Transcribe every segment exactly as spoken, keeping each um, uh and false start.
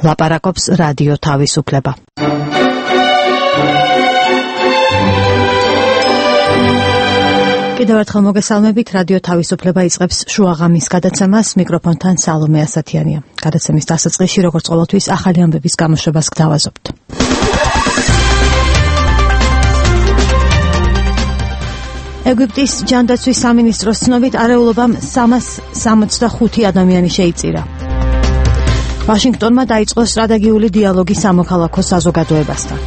ლაპარაკობს რადიო თავისუფლება. კიდევ ერთხელ მოგესალმებით, რადიო თავისუფლება იწყებს შუაღამის გადაცემას, მიკროფონთან სალომე ასათიანია. გადაცემის დასაწყისში, როგორც ყოველთვის, ახალი ამბების გამოშვებას გთავაზობთ. ეგვიპტის ჯანდაცვის სამინისტროს ცნობით არეულობამ სამას სამოცდახუთი ადამიანი შეიწირა. ვაშინგტონმა დაიწყო სტრატეგიული დიალოგი სამოქალაქო საზოგადოებასთან.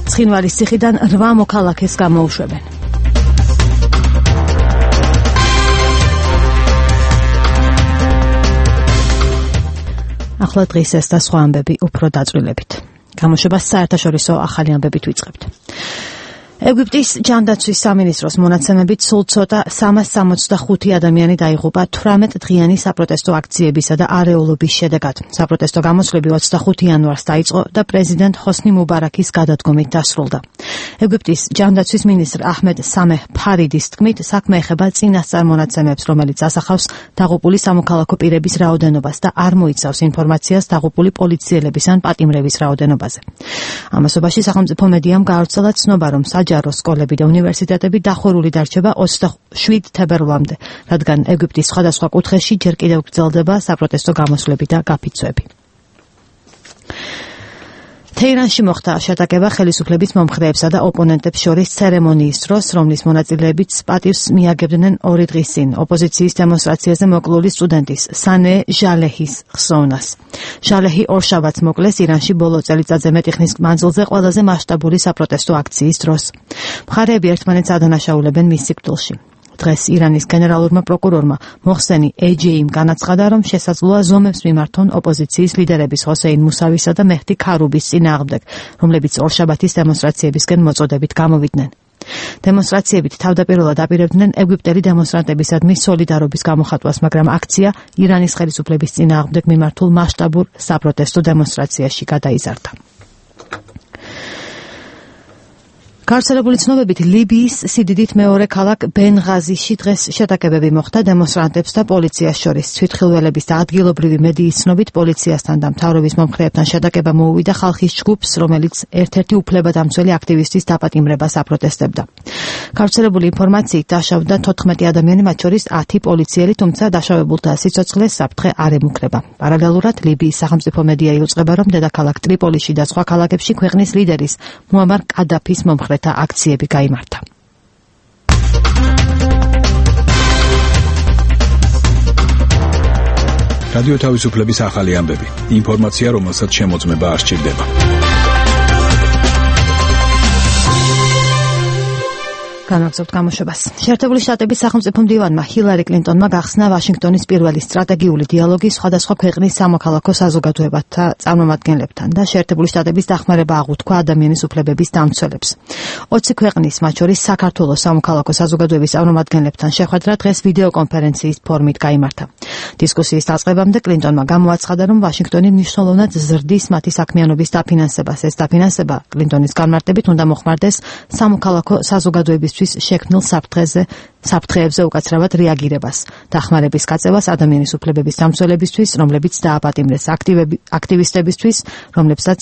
ცხინვალის ციხიდან რვა მოქალაქეს გამოუშვებენ. ახლა დღის ეს და სხვა ამბები უფრო დაწვრილებით. გამოშვებას საერთაშორისო ახალი ამბებით ვიწყებთ. ეგვიპტის ჯანდაცვის სამინისტროს მონაცემებით სულ ცოტა სამას სამოცდახუთი ადამიანი დაიღუპა თვრამეტ დღიანი საპროტესტო აქციებისა და არეულობის შედეგად. საპროტესტო გამოსვლები ოცდახუთი იანვარს დაიწყო და პრეზიდენტ ჰოსნი მუბარაქის გადადგომით დასრულდა. ეგვიპტის ჯანდაცვის მინისტრ აჰმედ სამეჰ ფარიდის თქმით, საქმე ეხება წინასწარ მონაცემებს, რომელიც ასახავს დაღუპული სამოქალაქო პირების რაოდენობას და არ მოიცავს ინფორმაციას დაღუპული პოლიციელების ან პატიმრების რაოდენობაზე. ამასობაში სახელმწიფო მედიამ გაავრცელა ცნობა, რომ საჯარო სკოლები და უნივერსიტეტები დახურული დარჩება ოცდაშვიდ თებერვლამდე, რადგან ეგვიპტის სხვადასხვა კუთხეში ჯერ კიდევ გრძელდება საპროტესტო გამოსვლები და გაფიცვები. თეირანში მოხდა შეტაკება ხელისუფლების მომხრეებსა და ოპონენტებს შორის ცერემონიის დროს, რომლის მონაწილეებიც პატივს მიაგებდნენ ორი დღის წინ ოპოზიციის დემონსტრაციაზე მოკლული სტუდენტის სანე ჟალეჰის ხსოვნას. ჟალეჰი ორშაბათს მოკლეს ირანში ბოლო წელიწადზე მეტი ხნის მანძილზე ყველაზე მასშტაბური საპროტესტო აქციის დროს. მხარეები ერთმანეთს ადანაშაულებენ მის სიკვდილში. დღეს ირანის გენერალურმა პროკურორმა მოხსენი ეჯეიმ განაცხადა, რომ შესაძლოა ზომებს მიმართონ ოპოზიციის ლიდერების ჰოსეინ მუსავისა და მეჰდი ქარუბის წინააღმდეგ, რომლებიც ორშაბათის დემონსტრაციებისკენ მოწოდებით გამოვიდნენ. დემონსტრაციებით თავდაპირველად აპირებდნენ ეგვიპტელი დემონსტრანტებისადმი სოლიდარობის გამოხატვას, მაგრამ აქცია ირანის ხელისუფლების წინააღმდეგ მიმართულ მასშტაბურ საპროტესტო დემონსტრაციაში გადაიზარდა. გავრცელებული ცნობებით ლიბიის სიდიდით მეორე ქალაქ ბენღაზიში დღეს შეტაკებები მოხდა დემონსტრანტებს და პოლიციას შორის. თვითხილველების და ადგილობრივი მედიის ცნობით პოლიციასთან და მთავრობის მომხრეებთან შეტაკება მოუვიდა ხალხის ჯგუფს, რომელიც ერთ-ერთი უფლებადამცველი აქტივისტის დაპატიმრებას აპროტესტებდა. გავრცელებული ინფორმაციით დაშავდა თოთხმეტი ადამიანი, მათ შორის ათი პოლიციელი, თუმცა დაშავებულთა სიცოცხლეს საფრთხე არ ემუქრება. პარალელურად ლიბიის სახელმწიფო მედია იუწყება, რომ დედაქალაქ ტრიპოლიში და სხვა ქალაქებში ქვეყნის ლიდერის მუამარ კადაფის მომხრე და აქციები გაიმართა. რადიო თავისუფლების ახალი ამბები. ინფორმაცია, რომელსაც შემოწმება არ სჭირდება. განაგზავნოთ გამოშვებას. შეერთებული შტატების სახელმწიფო მდივანმა ჰილარი კლინტონმა გახსნა ვაშინგტონის პირველი სტრატეგიული დიალოგი სხვადასხვა ქვეყნის სამოქალაქო საზოგადოებათა წარმომადგენლებთან და შეერთებული შტატების დახმარება აღუთქვა ადამიანის უფლებების დამცველებს. ოცი ქვეყნის, მათ შორის საქართველოს სამოქალაქო საზოგადოების წარმომადგენლებთან შეხვედრა დღეს ვიდეო კონფერენციის ფორმით გაიმართა. დისკუსიის დაწყებამდე კლინტონმა გამოაცხადა, რომ ვაშინგტონი მნიშვნელოვნად ზრდის მათი საქმიანობის დაფინანსებას. ეს დაფინანსება კლინტონის განმარტებით უნდა მოხმარდეს სამოქალაქო საზოგადოების შექმნილ საფრთხეზე, საფრთხეებზე უკაცრავად რეაგირებას, დახმარების გაწევას ადამიანის უფლებების დამცველებისთვის, რომლებიც დააპატიმრეს, აქტივისტებისთვის, რომლებსაც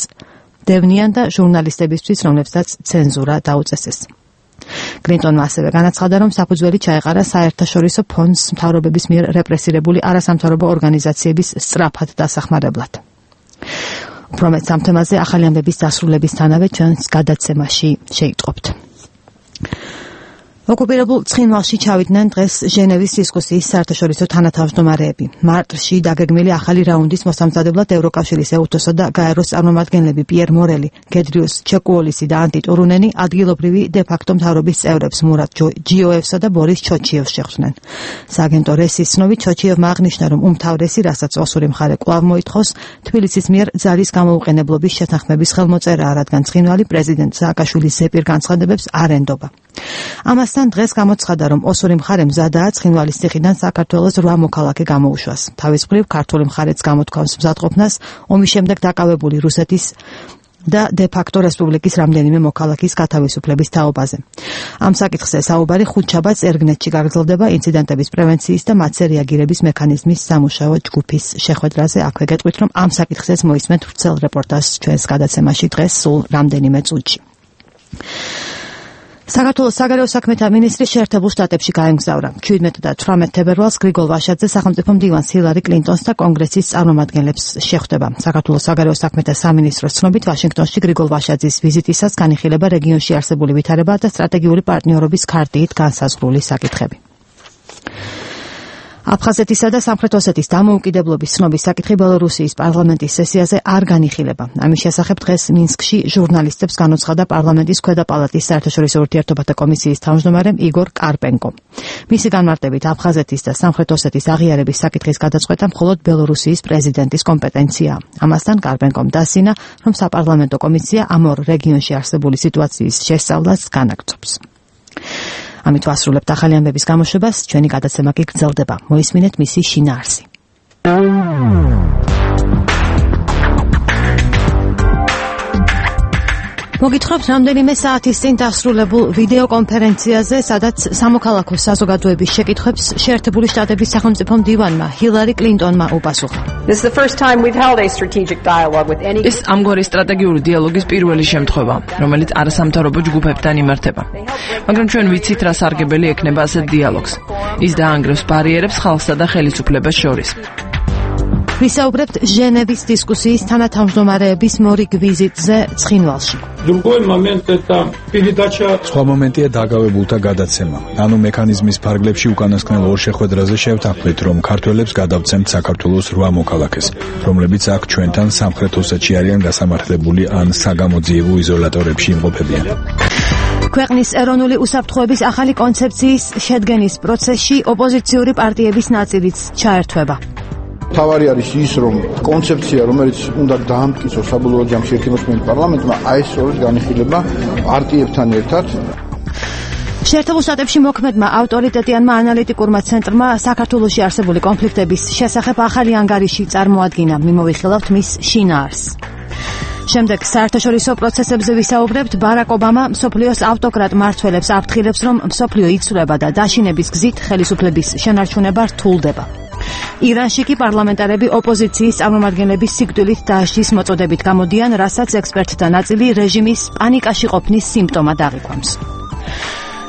დევნიან და ჟურნალისტებისთვის, რომლებსაც ცენზურა დაუწესეს. კლინტონმა ასევე განაცხადა, რომ საფუძველი ჩაეყარა საერთაშორისო ფონდს მთავრობების მიერ რეპრესირებული არასამთავრობო ორგანიზაციების სწრაფად დასახმარებლად. უფრო მეტ ამ თემაზე ახალი ამბების დასრულებისთანავე ჩვენს გადაცემაში შეიტყობთ. ოკუპირებულ ცხინვალში ჩავიდნენ დღეს ჟენევის დისკუსიის საერთაშორისო თანათავმჯდომარეები. მარტში დაგეგმილი ახალი რაუნდის მოსამზადებლად ევროკავშირის ეუთოსა და გაეროს წარმომადგენლები პიერ მორელი, გედრიუს ჩეკუოლისი და ანტი ტურუნენი ადგილობრივი დე-ფაქტო მთავრობის წევრებს მურატ ჯიოევსა და ბორის ჩოჩიევს შეხვდნენ. სააგენტო რესის ცნობით ჩოჩიევმა აღნიშნა, რომ უმთავრესი, რასაც ოსური მხარე კვლავ მოითხოვს, თბილისის მიერ ძალის გამოუყენებლობის შეთანხმების ხელმოწერაა, რადგან ცხინვალი პრეზიდენტ სააკაშვილის ზეპირ განცხადებებს არ ენდობა. ამასთან დღეს გამოცხადა, რომ ოსური მხარე მზადაა ცხინვალის ციხიდან საქართველოს რვა მოქალაქე გამოუშვას. თავის მხრივ ქართული მხარეც გამოთქვამს მზადყოფნას ომის შემდეგ დაკავებული რუსეთის და დე-ფაქტო რესპუბლიკის რამდენიმე მოქალაქის გათავისუფლების თაობაზე. ამ საკითხზე საუბარი ხუთშაბათს ერგნეტში გაგრძელდება ინციდენტების პრევენციის და მათზე რეაგირების მექანიზმის სამუშაო ჯგუფის შეხვედრაზე. აქვე გეტყვით, რომ ამ საკითხზეც მოისმენთ ვრცელ რეპორტაჟს ჩვენს გადაცემაში დღეს სულ რამდენიმე წუთში. საქართველოს საგარეო საქმეთა მინისტრი შეერთებულ შტატებში გაემგზავრა. ჩვიდმეტ და თვრამეტ თებერვალს გრიგოლ ვაშაძე სახელმწიფო მდივანს ჰილარი კლინტონს და კონგრესის წარმომადგენლებს შეხვდება. საქართველოს საგარეო საქმეთა სამინისტროს ცნობით, ვაშინგტონში გრიგოლ ვაშაძის ვიზიტისას განიხილება რეგიონში არსებული ვითარება და სტრატეგიული პარტნიორობის ქარტიით განსაზღვრული საკითხები. აფხაზეთისა და სამხრეთ ოსეთის დამოუკიდებლობის ცნობის საკითხი ბელორუსიის პარლამენტის სესიაზე არ განიხილება. ამის შესახებ დღეს მინსკში ჟურნალისტებს განუცხადა პარლამენტის ქვედა პალატის საერთაშორისო ურთიერთობათა კომისიის თავმჯდომარე იგორ კარპენკო. მისი განმარტებით, აფხაზეთის და სამხრეთ ოსეთის აღიარების საკითხის გადაწყვეტა მხოლოდ ბელორუსიის პრეზიდენტის კომპეტენციაა. ამასთან კარპენკომ დასინა, რომ საპარლამენტო კომისია ამ ორ რეგიონში არსებული სიტუაციის შესწავლას განაგრძობს. ამით ვასრულებთ ახალი ამბების გამოშვებას, ჩვენი გადაცემა კი გრძელდება. მოისმინეთ მისი შინაარსი. მოგითხრობთ რამდენიმე საათის წინ დასრულებულ ვიდეო კონფერენციაზე, სადაც სამოქალაქო საზოგადოების შეკითხვებს შეერთებული შტატების სახელმწიფო მდივანმა ჰილარი კლინტონმა უპასუხა. ეს ამგვარი სტრატეგიული დიალოგის პირველი შემთხვევა, რომელიც არასამთავრობო ჯგუფებთან იმართება. მაგრამ ჩვენ ვიცით, რა სარგებელი ექნება ასეთ დიალოგს. ის დაანგრევს ბარიერებს ხალხსა და ხელისუფლებას შორის. ვისაუბრებთ ჟენევის დისკუსიის თანათავმჯდომარეების მორიგ ვიზიტზე ცხინვალში. სხვა მომენტია დაგავებულთა გადაცემა. ანუ მექანიზმის ფარგლებში უკანასკნელ ორ შეხვედრაზე შევთანხმდით, რომ ქართველებს გადავცემთ საქართველოს რვა მოქალაქეს, რომლებიც აქ ჩვენთან სამხრეთ ოსეთში არიან გასამართლებული ან საგამოძიებო იზოლატორებში იმყოფებიან. ქვეყნის ეროვნული უსაფრთხოების ახალი კონცეფციის შედგენის პროცესში ოპოზიციური პარტიების ნაწილიც ჩაერთვება. თავარი არის ის, რომ კონცეფცია, რომელიც უნდა დაამტკიცოს საბოლოო ჯამში ერთმოსმენით პარლამენტმა, აი ეს სწორედ განიხილება პარტიებთან ერთად. შეერთებულ შტატებში მოქმედმა ავტორიტეტიანმა ანალიტიკურმა ცენტრმა საქართველოში არსებული კონფლიქტების შესახებ ახალი ანგარიში წარმოადგინა. მიმოვიხილავთ მის შინაარსს. შემდეგ საერთაშორისო პროცესებზე ვისაუბრებთ. ბარაკ ობამა მსოფლიოს ავტოკრატ მმართველებს აფრთხილებს, რომ მსოფლიო იცვლება და დაშინების გზით ხელისუფლების შენარჩუნება რთულდება. ირანში კი პარლამენტარები ოპოზიციის წარმომადგენლების სიკვდილით დააშლის მოწოდებით გამოდიან, რასაც ექსპერტთა ნაწილი რეჟიმის პანიკაში ყოფნის სიმპტომად აღიქვამს.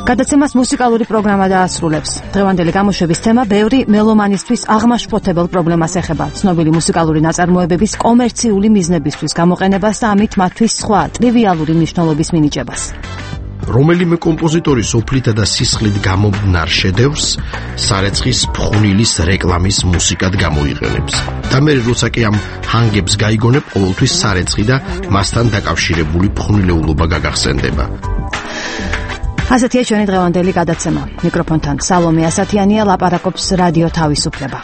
გადაცემას მუსიკალური პროგრამა დაასრულებს. დღევანდელი გამოშვების თემა ბევრი მელომანისთვის აღმაშფოთებელ პრობლემას ეხება. ცნობილი მუსიკალური ნაწარმოებების კომერციული მიზნებისთვის გამოყენებას და ამით მათთვის სხვა ტრივიალური მნიშვნელობის მინიჭებას. რომელიმე კომპოზიტორი სოფლითა და სისხლით გამომნარ შედევრს სარეცხის ფხვნილის რეკლამის მუსიკად გამოიყენებს. და მე როცა კი ამ ჰანგებს გაიგონებ, ყოველთვის სარეცხი და მასთან დაკავშირებული ფხვნილეულობა გაგახსენდება. ასეთია ჩვენი დღევანდელი გადაცემა. მიკროფონთან სალომე ასათიანია, ლაპარაკობს რადიო თავისუფლება.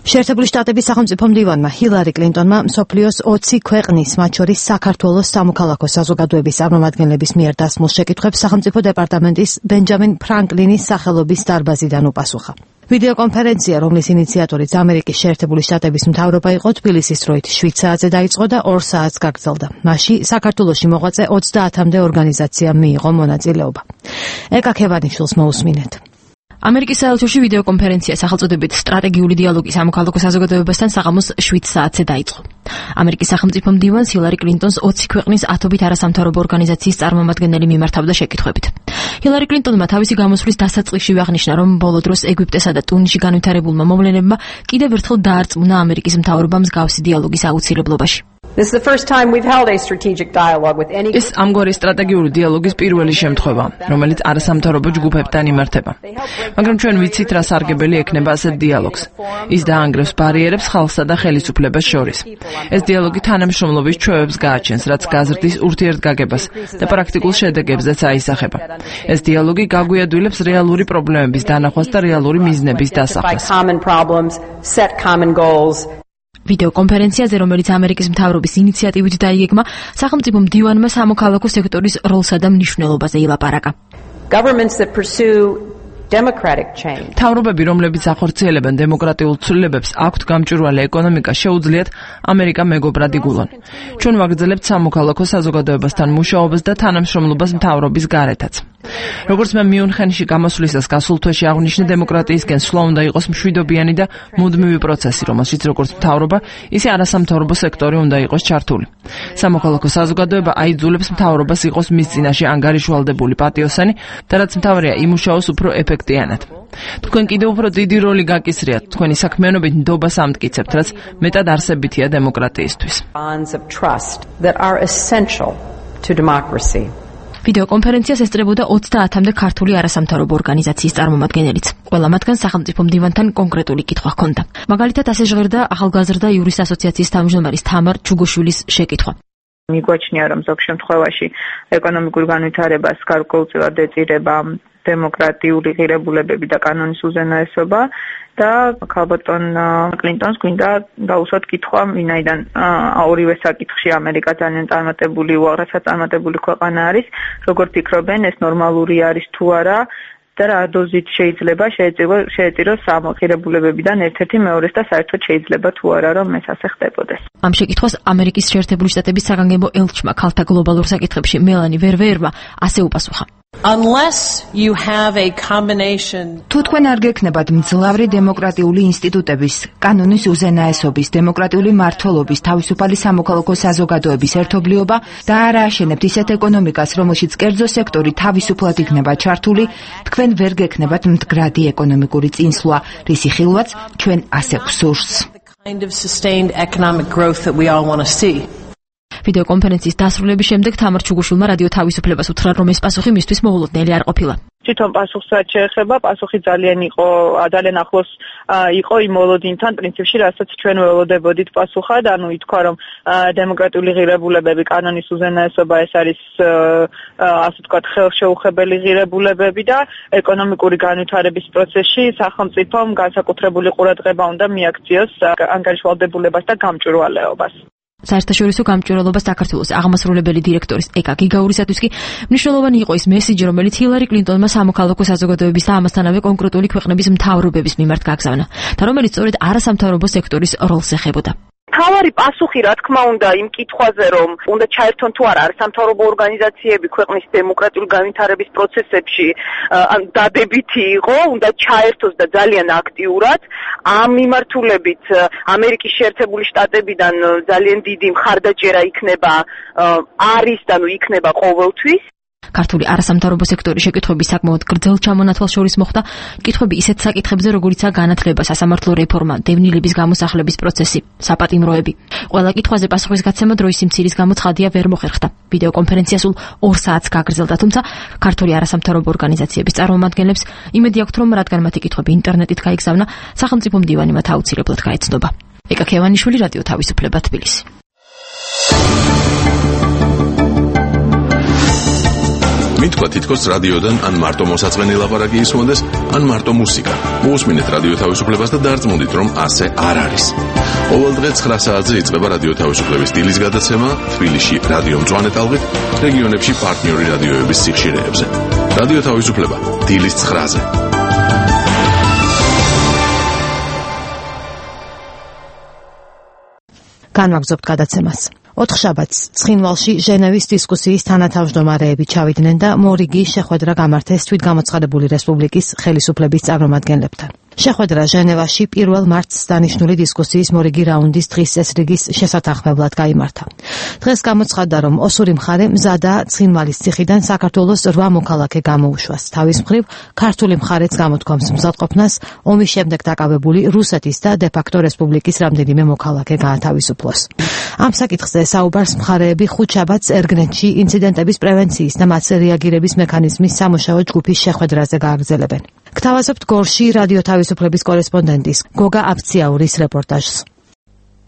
შეერთებული შტატების სახელმწიფო მდივანმა ჰილარი კლინტონმა მსოფლიოს ოცი ქვეყნის, მათ შორის საქართველოს სამოქალაქო საზოგადოების წარმომადგენლების მიერ დასმულ შეკითხვებს სახელმწიფო დეპარტამენტის ბენჯამინ ფრანკლინის სახელობის დარბაზიდან უპასუხა. ვიდეო კონფერენცია, რომლის ინიციატორიც ამერიკის შეერთებული შტატების მთავრობა იყო, თბილისის დროით შვიდ საათზე დაიწყო და ორ საათს გაგრძელდა. მასში საქართველოში მოღვაწე ოცდაათამდე ორგანიზაციამ მიიღო მონაწილეობა. ეკა ქევანიშვილს მოусმინეთ. ამერიკის საელჩოში ვიდეო კონფერენცია სახელწოდებით სტრატეგიული დიალოგი სამოქალაქო საზოგადოებასთან საღამოს შვიდ საათზე დაიწყო. ამერიკის სახელმწიფო მდივანს ჰილარი კლინტონს ოცი ქვეყნის ათობით არასამთავრობო ორგანიზაციის წარმომადგენელი მიმართავდა შეკითხვებით. ჰილარი კლინტონმა თავისი გამოსვლის დასაწყისშივე აღნიშნა, რომ ბოლო დროს ეგვიპტესა და ტუნისში განვითარებულმა მოვლენებმა კიდევ ერთხელ დაარწმუნა ამერიკის მთავრობამ მსგავსი დიალოგის აუცილებლობაში. ეს ამგვარი სტრატეგიული დიალოგის პირველი შემთხვევა, რომელიც არასამთავრობო ჯგუფებთან იმართება. მაგრამ ჩვენ ვიცით, რა სარგებელი ექნება ასეთ დიალოგს. ის დაანგრევს ბარიერებს ხალხსა და ხელისუფლებას შორის. ეს დიალოგი თანამშრომლობის ჩვევებს გააჩენს, რაც გაზრდის ურთიერთგაგებას და პრაქტიკულ შედეგებზეც აისახება. ეს დიალოგი გაგვიადვილებს რეალური პრობლემების დანახვას და რეალური მიზნების დასახვას. ვიდეო კონფერენციაზე, რომელიც ამერიკის მთავრობის ინიციატივით დაიგეგმა, სახელმწიფო მდივანმა სამოქალაქო სექტორის როლსა და მნიშვნელობაზე ილაპარაკა. მთავრობები, რომლებიც ახორციელებენ დემოკრატიულ ცვლილებებს, აქვთ გამჭვირვალე ეკონომიკა, შეუძლიათ ამერიკა მეგობრად იგულონ. ჩვენ ვაგრძელებთ სამოქალაქო საზოგადოებასთან მუშაობას და თანამშრომლობას მთავრობის გარეთაც. როგორც მე მიუნხენში გამოსვლისას გასულ თვეში აღვნიშნე, დემოკრატიისკენ სვლა უნდა იყოს მშვიდობიანი და მუდმივი პროცესი, რომელშიც როგორც მთავრობა, ისე არასამთავრობო სექტორი უნდა იყოს ჩართული. სამოქალაქო საზოგადოება აიძულებს მთავრობას იყოს მის წინაშე ანგარიშვალდებული პატიოსანი და რაც მთავარია, იმუშაოს უფრო ეფექტიანად. თქვენ კიდევ უფრო დიდი როლი გაკისრიათ, თქვენი საქმიანობით ნდობას ამტკიცებთ, რაც მეტად არსებითია დემოკრატიისთვის. ვიდეო კონფერენციას ესწრებოდა ოცდაათამდე ქართული არასამთავრობო ორგანიზაციის წარმომადგენელიც. ყველა მათგან სახელმწიფო მდივანთან კონკრეტული კითხვა ჰქონდა. მაგალითად, ასე ჟღერდა ახალგაზრდა იურის ასოციაციის თავმჯდომარის თამარ ჩუგუშვილის შეკითხვა. მიგვაჩნია, რომ ზოგ შემთხვევაში ეკონომიკურ განვითარებას გარკვეულწილად ეწირება დემოკრატიული ღირებულებები და კანონის უზენაესობა და ქალბატონ კლინტონს გვინდა დაუსვათ კითხვა, ვინაიდან ორივე საკითხში ამერიკა ძალიან წარმატებული, უაღრესად წარმატებული ქვეყანა არის, როგორ ფიქრობენ, ეს ნორმალური არის თუ არა და რა დოზით შეიძლება შეეწიროს ამ ღირებულებებიდან ერთ-ერთი მეორეს და საერთოდ შეიძლება თუ არა რომ ეს ასე ხდებოდეს. ამ შეკითხვას ამერიკის შეერთებული შტატების საგანგებო ელჩმა ქალთა გლობალურ საკითხებში მელანი ვერვერმა ასე უპასუხა. Unless you have a combination თუ თქვენ არ გექნებათ მძლავრი დემოკრატიული ინსტიტუტების, კანონის უზენაესობის, დემოკრატიული მმართველობის, თავისუფალი სამოქალაქო საზოგადოების ერთობლიობა და არ ააშენებთ ისეთ ეკონომიკას, რომელშიც კერძო სექტორი თავისუფლად იქნება ჩართული, თქვენ ვერ გექნებათ მდგრადი ეკონომიკური წინსვლა, რისი ხილვაც ჩვენ ასე გვსურს. kind of sustained economic growth that we all want to see. ვიდეო კონფერენციის დასრულების შემდეგ თამარ ჩუგუშვილმა რადიო თავისუფლებას უთხრა, რომ ეს პასუხი მისთვის მოულოდნელი არ ყოფილა. თვითონ პასუხსაც შეეხება, პასუხი ძალიან იყო, ძალიან ახლოს იყო იმ მოლოდინთან, პრინციპში, რასაც ჩვენ ველოდებოდით პასუხად, ანუ ითქვა, რომ დემოკრატიული ღირებულებები, კანონის უზენაესობა ეს არის ასე ვთქვათ, ხელშეუხებელი ღირებულებები და ეკონომიკური განვითარების პროცესში სახელმწიფომ განსაკუთრებული ყურადღება უნდა მიაქციოს ანგარიშვალდებულებას და გამჭვირვალეობას. საერთაშორისო გამჭვირვალობას საქართველოს აღმასრულებელი დირექტორის ეკა გიგაურისათვის კი მნიშვნელოვანი იყო ის მესიჯი, რომელიც ჰილარი კლინტონმა სამოქალაქო საზოგადოების და ამასთანავე კონკრეტული ქვეყნების მთავრობების მიმართ გაგზავნა და რომელიც სწორედ არასამთავრობო სექტორის როლს ეხებოდა. მთავარი პასუხი, რა თქმა უნდა, იმ კითხვაზე, რომ უნდა ჩაერთონ თუ არა არასამთავრობო ორგანიზაციები ქვეყნის დემოკრატიული განვითარების პროცესებში, დადებითი იყო, უნდა ჩაერთოს და ძალიან აქტიურად. ამ მიმართულებით ამერიკის შეერთებული შტატებიდან ძალიან დიდი მხარდაჭერა იქნება არის და ნუ იქნება ყოველთვის. ქართული არასამთავრობო სექტორის შეკითხვების საკმაოდ გრძელ ჩამონათვალს შორის მოხდა კითხვები ისეთ საკითხებზე, როგორიცაა განათლება, სასამართლო რეფორმა, დევნილების გამოსახლების პროცესი, საპატიმროები. ყველა კითხვაზე პასუხის გაცემა დროის სიმცირის გამო ცხადია ვერ მოხერხდა. ვიდეო კონფერენცია სულ ორ საათს გაგრძელდა, თუმცა ქართული არასამთავრობო ორგანიზაციების წარმომადგენლებს იმედი აქვთ, რომ რადგან მათი კითხვები ინტერნეტით გაიგზავნა, სახელმწიფო მდივანი მათ აუცილებლად გაეცნობა. ეკა ქევანიშვილი, რადიო თავისუფლება, თბილისი. მითქვა თითქოს რადიოდან ან მარტო მოსაწყენი ლაპარაკი ისმოდეს, ან მარტო მუსიკა. მოусმინეთ რადიო თავისუფლებას და დარწმუნდით, რომ ასე არ არის. ყოველ დღე ცხრა საათზე იწყება რადიო თავისუფლების დილის გადაცემა თბილისში რადიო მწვანე ტალღით, რეგიონებში პარტნიორი რადიოების სიხშირეებზე. რადიო თავისუფლება დილის ცხრაზე. განვაგრძობთ გადაცემას. ოთხშაბათს ცხინვალში ჟენევის დისკუსიის თანათავმჯდომარეები ჩავიდნენ და მორიგი შეხვედრა გამართეს თვითგამოცხადებული რესპუბლიკის ხელისუფლების წარმომადგენლებთან. შეხვედრა ჟენევაში პირველ მარტს დანიშნული დისკუსიის მორიგი რაუნდის დღის წესრიგის შესათანხმებლად გაიმართა. დღეს გამოცხადდა, რომ ოსური მხარე მზადაა ცხინვალის ციხიდან საქართველოს რვა მოქალაქე გამოუშვას. თავის მხრივ, ქართული მხარეც გამოთქვამს მზადყოფნას ომის შემდეგ დაკავებული რუსეთის და დე-ფაქტო რესპუბლიკის რამდენიმე მოქალაქე გაათავისუფლოს. ამ საკითხზე საუბარს მხარეები ხუთშაბათს ერგნეთში ინციდენტების პრევენციის და მათზე რეაგირების მექანიზმის სამუშაო ჯგუფის შეხვედრაზე გააგრძელებენ. გთავაზობთ გორში რადიო თავისუფლების კორესპონდენტის გოგა აფციაურის რეპორტაჟს.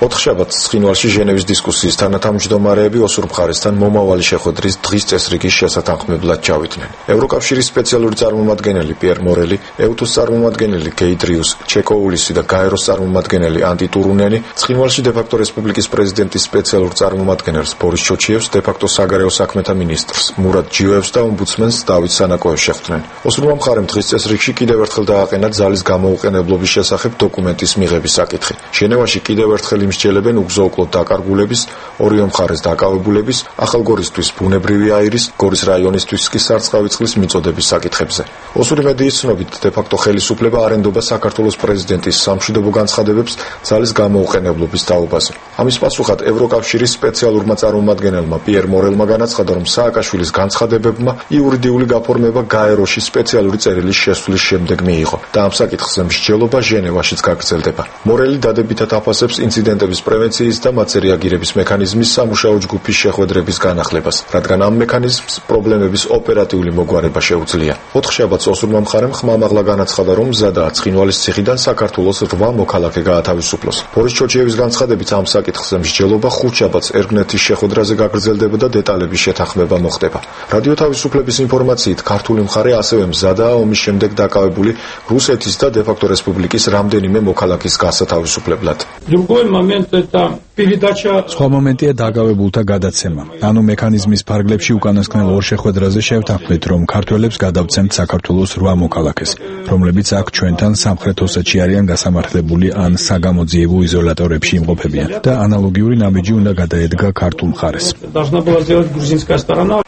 ოთხშაბათს ცხინვალში ჟენევის დისკუსიის თანათავმჯდომარეები ოსურ მხარესთან მომავალი შეხვედრის დღის წესრიგის შესათანხმებლად ჩავიდნენ. ევროკავშირის სპეციალური წარმომადგენელი პიერ მორელი, ევთუს წარმომადგენელი გეიდრიუს ჩეკოულისი და გაეროს წარმომადგენელი ანტი ტურუნენი, ცხინვალში დე-ფაქტო რესპუბლიკის პრეზიდენტის სპეციალურ წარმომადგენელს ბორის ჩოჩიევს, დე-ფაქტო საგარეო საქმეთა მინისტრს მურად ჯიოევს და ომბუდსმენს დავით სანაკოევს შეხვდნენ. ოსურმა მხარემ დღის წესრიგში კიდევ ერთხელ დააყენა ძალის გამოუყენებლობის შესახებ დოკუმენტის მიღების საკითხი. ჟენევაში კიდევ ერთხელ იმსჯელებენ უგზო-უკლოდ დაკარგულების, ორივე მხარეს დაკავებულების, ახალგორისთვის ბუნებრივი აირის, გორის რაიონისთვის კი სარწყავი წყლის მიწოდების საკითხებზე. ოსური მედიის ცნობით, დე-ფაქტო ხელისუფლება არ ენდობა საქართველოს პრეზიდენტის სამშვიდობო განცხადებებს ძალის გამოუყენებლობის თაობაზე. ამის პასუხად ევროკავშირის სპეციალურმა წარმომადგენელმა პიერ მორელმა განაცხადა, რომ სააკაშვილის განცხადებებმა იურიდიული გაფორმება გაეროში სპეციალური წერილის შესვლის შემდეგ მიიღო და ამ საკითხზე მსჯელობა ჟენევაშიც გაგრძელდება. მორელი დადებითად აფასებს ინციდენტების პრევენციის და მათზე რეაგირების მექანიზმის სამუშაო ჯგუფის შეხვედრების განახლებას, რადგან ამ მექანიზმს პრობლემების ოპერატიული მოგვარება შეუძლია. ოთხშაბათს ოსურმა მხარემ ხმამაღლა განაცხადა, რომ მზადაა ცხინვალის ციხიდან საქართველოს რვა მოქალაქე გაათავისუფლოს. ბორის ჩოჩიევის განცხადებით ამ საკითხზე მსჯელობა ხუთშაბათს ერგნეთის შეხვედრაზე გაგრძელდება და დეტალების შეთანხმება მოხდება. რადიო თავისუფლების ინფორმაციით, ქართული მხარე ასევე მზადაა ომის შემდეგ დაკავებული რუსეთის და დე-ფაქტო რესპუბლიკის რამდენიმე მოქალაქის გასათავისუფლებლად. სხვა მომენტია დაკავებულთა გადაცემა. ანუ მექანიზმის ფარგლებში უკანასკნელ ორ შეხვედრაზე შევთანხმდით, რომ ქართველებს გადავცემთ საქართველოს რვა მოქალაქეს, რომლებიც აქ ჩვენთან სამხრეთ ოსეთში არიან გასამართლებული ან საგამოძიებო იზოლატორებში იმყოფებიან და ანალოგიური ნაბიჯი უნდა გადაედგა ქართულ მხარეს.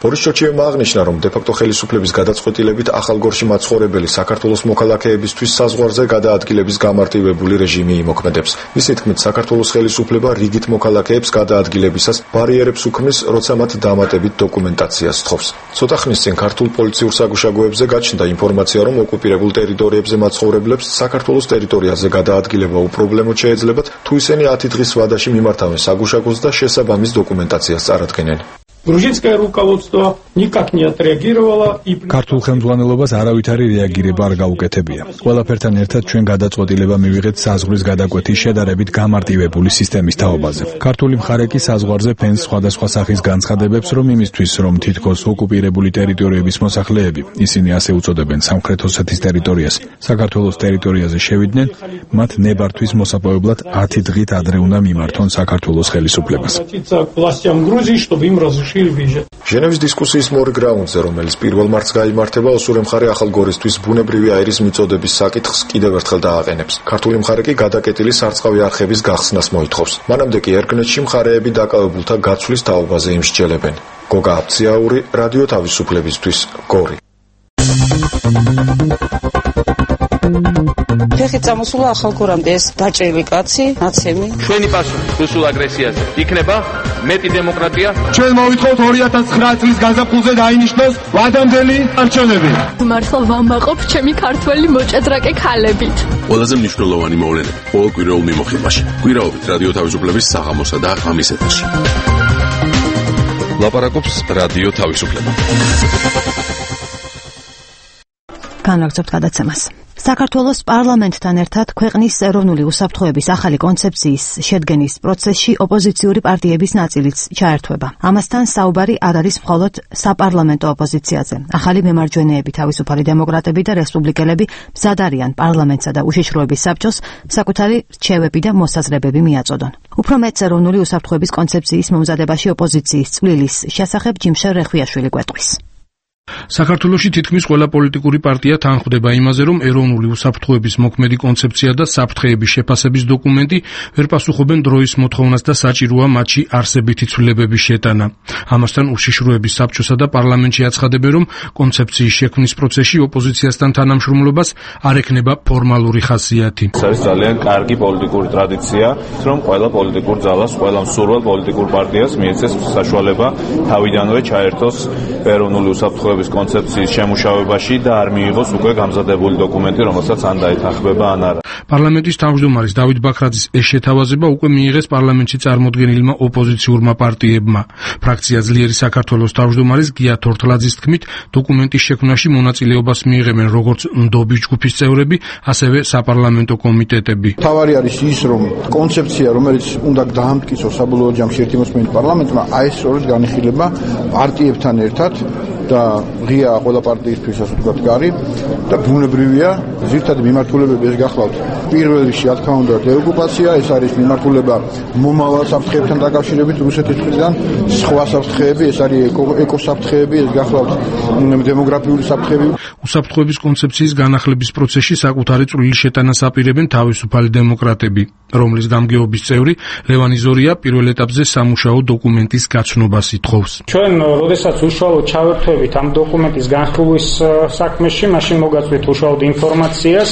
ბორის ჩოჩიევმა აღნიშნა, რომ დე-ფაქტო ხელისუფლების გადაწყვეტილებით ახალგორში მაცხოვრებელი საქართველოს მოქალაქეებისთვის საზღვარზე გადაადგილების გამარტივებული რეჟიმი იმოქმედებს. მისი თქმით, საქართველოს ხელისუფლება რიგით მოქალაქეებს გადაადგილებისას ბარიერებს უქმნის, როცა მათ დამატებით დოკუმენტაციას სთხოვს. ცოტა ხნის წინ ქართულ პოლიციურ საგუშაგოებზე გაჩნდა ინფორმაცია, რომ ოკუპირებულ ტერიტორიებზე მაცხოვრებლებს საქართველოს ტერიტორიაზე გადაადგილება უპრობლემოდ შეეძლებათ, თუ ისინი ათი დღის ვადაში მიმართავენ საგუშაგოს და შესაბამის დოკუმენტაციას წარადგენენ. Грузинское руководство никак не отреагировало и ქართულ ხელმძღვანელობას არავითარი რეაგირება არ გაუკეთებია. ყველაფერთან ერთად ჩვენ გადაწყვეტილება მივიღეთ საზღვრის გადაკვეთის შედარებით გამარტივებული სისტემის თაობაზე. ქართული მხარე კი საზღვარზე ფენს სხვადასხვა სახის განცხადებებს, რომ იმისთვის, რომ თითქოს ოკუპირებული ტერიტორიების მოსახლეები, ისინი ასე უწოდებენ სამხრეთ ოსეთის ტერიტორიას, საქართველოს ტერიტორიაზე შევიდნენ, მათ ნებართვის მოსაპოვებლად ათი დღით ადრე უნდა მიმართონ საქართველოს ხელისუფლებას. ჟენევის დისკუსიის მორიგ რაუნდზე, რომელიც პირველ მარტს გაიმართება, ოსური მხარე ახალგორისთვის ბუნებრივი აირის მიწოდების საკითხს კიდევ ერთხელ დააყენებს. ქართული მხარე კი გადაკეტილი სარწყავი არხების გახსნას მოითხოვს. მანამდე კი ერგნეთში მხარეები დაკავებულთა გაცვლის თაობაზე იმსჯელებენ. გოგა აფციაური, რადიო თავისუფლებისთვის, გორი. ფეხი წამოსულა ახალგორამდე ეს დაჭრილი კაცი, ნაცემი. ჩვენი პასუხი რუსულ აგრესიაზე იქნება მეტი დემოკრატია. ჩვენ მოვითხოვთ ორი ათას ცხრა წლის გაზაფხულზე დაინიშნოს ვადამდელი არჩევნები. მართლა ვამაყობ ჩემი ქართველი მოჭადრაკე ქალებით. ყველაზე მნიშვნელოვანი მოვლენები ყოველ კვირაულ მიმოხილვაში. კვირაობით რადიო თავისუფლების საღამოსა და ღამის ეთერში. ლაპარაკობს რადიო თავისუფლება. განაგრძობთ გადაცემას. საქართველოს პარლამენტთან ერთად ქვეყნის ეროვნული უსაფრთხოების ახალი კონცეფციის შედგენის პროცესში ოპოზიციური პარტიების ნაწილიც ჩაერთვება. ამასთან საუბარი არ არის მხოლოდ საპარლამენტო ოპოზიციაზე. ახალი მემარჯვენეები, თავისუფალი დემოკრატები და რესპუბლიკელები მზად არიან პარლამენტსა და უშიშროების საბჭოს საკუთარი რჩევები და მოსაზრებები მიაწოდონ. უფრო მეც ეროვნული უსაფრთხოების კონცეფციის მომზადებაში ოპოზიციის წვლილის შესახებ ჯიმშელ რეხვიაშვილი გვეტყვის. საქართველოში თითქმის ყველა პოლიტიკური პარტია თანხმდება იმაზე, რომ ეროვნული უსაფრთხოების მოქმედი კონცეფცია და საფრთხეების შეფასების დოკუმენტი ვერ პასუხობენ დროის მოთხოვნას და საჭიროა მათში არსებითი ცვლილებების შეტანა. ამასთან უშიშროების საბჭოსა და პარლამენტში აცხადებენ, რომ კონცეფციის შექმნის პროცესში ოპოზიციასთან თანამშრომლობას არ ექნება ფორმალური ხასიათი. ეს არის ძალიან კარგი პოლიტიკური ტრადიცია, რომ ყველა პოლიტიკურ ძალას, ყველა მსურველ პოლიტიკურ პარტიას მიეცეს საშუალება თავიდანვე ჩაერთოს ეროვნული უსაფრთხოების უსაფრთხოების კონცეფციის შემუშავებაში და არ მიიღოს უკვე გამზადებული დოკუმენტი, რომელსაც ან დაეთანხმება, ან არა. პარლამენტის თავმჯდომარის დავით ბაქრაძის ეს შეთავაზება უკვე მიიღეს პარლამენტში წარმოდგენილმა ოპოზიციურმა პარტიებმა. ფრაქცია ძლიერი საქართველოს თავმჯდომარის გია თორთლაძის თქმით, დოკუმენტის შექმნაში მონაწილეობას მიიღებენ როგორც ნდობის ჯგუფის წევრები, ასევე საპარლამენტო კომიტეტები. თავარი არის ის, რომ კონცეფცია, რომელიც უნდა დაამტკიცოს საბოლოო ჯამში ერთი მოსმენით პარლამენტმა, აი ეს სწორედ განიხილება პარტიებთან ერთად და ღია ყველა პარტიისთვის ასე ვთქვათ გარი და ბუნებრივია ზირთად მიმართულებები ეს გახლავთ. პირველ რიგში რა თქმა უნდა დეოკუპაცია, ეს არის მიმართულება მომავალ საფრთხეებთან დაკავშირებით რუსეთის მხრიდან, სხვა საფრთხეები, ეს არის ეკოსაფრთხეები, ეს გახლავთ დემოგრაფიული საფრთხეები. უსაფრთხოების კონცეფციის განახლების პროცესში საკუთარი წვლილი შეტანას აპირებენ თავისუფალი დემოკრატები, რომლის გამგეობის წევრი ლევან იზორია პირველ ეტაპზე სამუშაო დოკუმენტის გაცნობას ითხოვს. ჩვენ როდესაც უშუალოდ ჩავერთვებით ამ დოკუმენტის განხილვის საქმეში, მაშინ მოგაწვით უშუალოდ ინფორმაციას,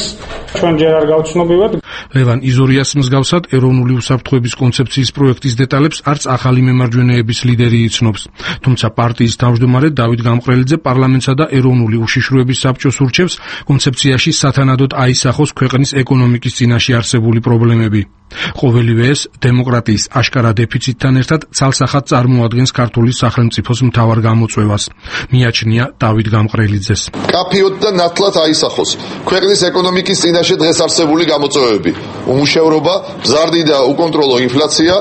ჩვენ ჯერ არ გავცნობივად. ლევან იზორიას მსგავსად ეროვნული უსაფრთხოების კონცეფციის პროექტის დეტალებს არც ახალი მემარჯვენეების ლიდერი იცნობს. თუმცა პარტიის თავმჯდომარე დავით გამყრელიძე პარლამენტსა და ეროვნული უშიშროების საბჭოს ურჩევს კონცეფციაში სათანადოდ აისახოს ქვეყნის ეკონომიკის წინაშე არსებული პრობლემები. ყოველივე ეს დემოკრატიის აშკარა დეფიციტთან ერთად ცალსახად წარმოადგენს ქართული სახელმწიფოს მთავარ გამოწვევას. მიაჩნია დავით გამყრელიძეს. კაფიოდ და ნათლად აისახოს ქვეყნის ეკონომიკის წინაშე დღეს არსებული გამოწვევები: უმუშევრობა, მზარდი და უკონტროლო ინფლაცია,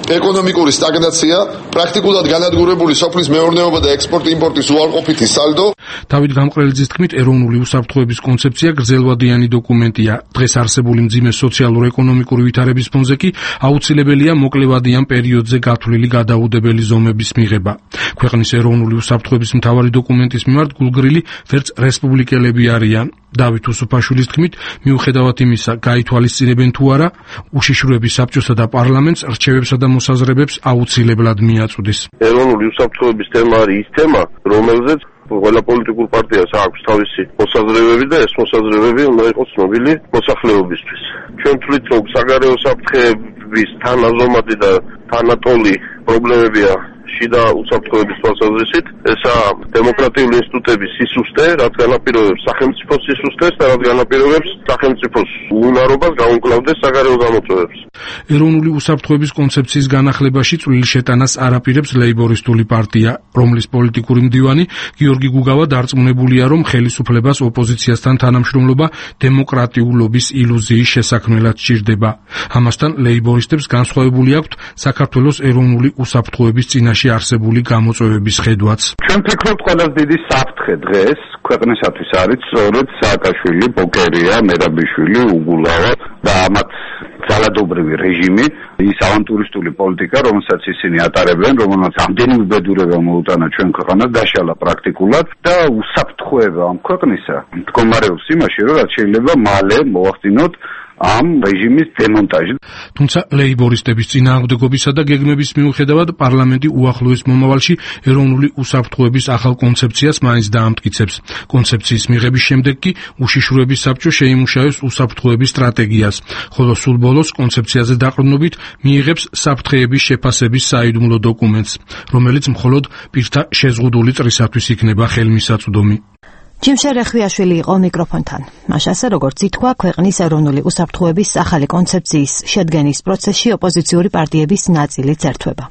ეკონომიკური სტაგნაცია, პრაქტიკულად განადგურებული სოფლის მეურნეობა და ექსპორტ-იმპორტის უარყოფითი სალდო. დავით გამყრელიძის თქმით, ეროვნული უსაფრთხოების კონცეფცია გრძელვადიანი დოკუმენტია. დღეს არსებული მძიმე სოციალურ-ეკონომიკური ვითარების ფონზე კი აუცილებელია მოკლევადიან პერიოდზე გათვლილი გადაუდებელი ზომების მიღება. ქვეყნის ეროვნული უსაფრთხოების მთავარი დოკუმენტის მიმართ გულგრილი ვერც რესპუბლიკელები არიან. დავით უსუფაშვილის თქმით, მიუხედავად იმისა, გაითვალისწინებენ თუ არა, უშიშროების საბჭოსა და პარლამენტს რჩევებსა და მოსაზრებებს აუცილებლად მიაწვდის. ეროვნული უსაფრთხოების თემა არის ის თემა, რომელზეც ყველა პოლიტიკურ პარტიას აქვს თავისი მოსაზრებები და ეს მოსაზრებები უნდა იყოს ცნობილი მოსახლეობისთვის. ჩვენ თვლით, რომ საგარეო საფრთხეების თანაზომადი და თანატოლი პრობლემებია შიდა უსაფრთხოების თვალსაზრისით, ესაა დემოკრატიული ინსტიტუტების სისუსტე, რაც განაპირობებს სახელმწიფოს სისუსტეს და რაც განაპირობებს სახელმწიფოს უნარობას გაუმკლავდეს საგარეო გამოწვევებს. ეროვნული უსაფრთხოების კონცეფციის განახლებაში წვლილი შეტანას არ აპირებს ლეიბორისტული პარტია, რომლის პოლიტიკური მდივანი გიორგი გუგავა დარწმუნებულია, რომ ხელისუფლებას ოპოზიციასთან თანამშრომლობა დემოკრატიულობის ილუზიის შესაქმნელად სჭირდება. ამასთან ლეიბორისტებს განსხვავებული აქვთ საქართველოს ეროვნული უსაფრთხოების წინაშე არსებული გამოწვევების ხედვაც. ჩვენ ვფიქრობთ, ყველაზე დიდი საფრთხე დღეს ქვეყნისათვის არის სწორედ სააკაშვილი, ბოკერია, მერაბიშვილი, უგულავა და ამათ ძალადობრივი რეჟიმი, ის ავანტურისტული პოლიტიკა, რომელსაც ისინი ატარებენ, რომელსაც ამდენი უბედურება მოუტანა ჩვენ ქვეყანას, დაშალა პრაქტიკულად და უსაფრთხოება ამ ქვეყნისა მდგომარეობს იმაში, რომ რაც შეიძლება მალე მოახდინოთ ამ რეჟიმის დემონტაჟი. თუმცა ლეიბორისტების წინააღმდეგობისა და გეგმების მიუხედავად პარლამენტი უახლოეს მომავალში ეროვნული უსაფრთხოების ახალ კონცეფციას მაინც დაამტკიცებს. კონცეფციის მიღების შემდეგ კი უშიშროების საბჭო შეიმუშავებს უსაფრთხოების სტრატეგიას, ხოლო სულ ბოლოს კონცეფციაზე დაყრდნობით მიიღებს საფრთხეების შეფასების საიდუმლო დოკუმენტს, რომელიც მხოლოდ პირთა შეზღუდული წრისათვის იქნება ხელმისაწვდომი. ჯიმშე რეხვიაშვილი იყო მიკროფონთან. მას ასე როგორც ითქვა, ქვეყნის ეროვნული უსაფრთხოების ახალი კონცეფციის შედგენის პროცესში ოპოზიციური პარტიების ნაწილიც ერთვება.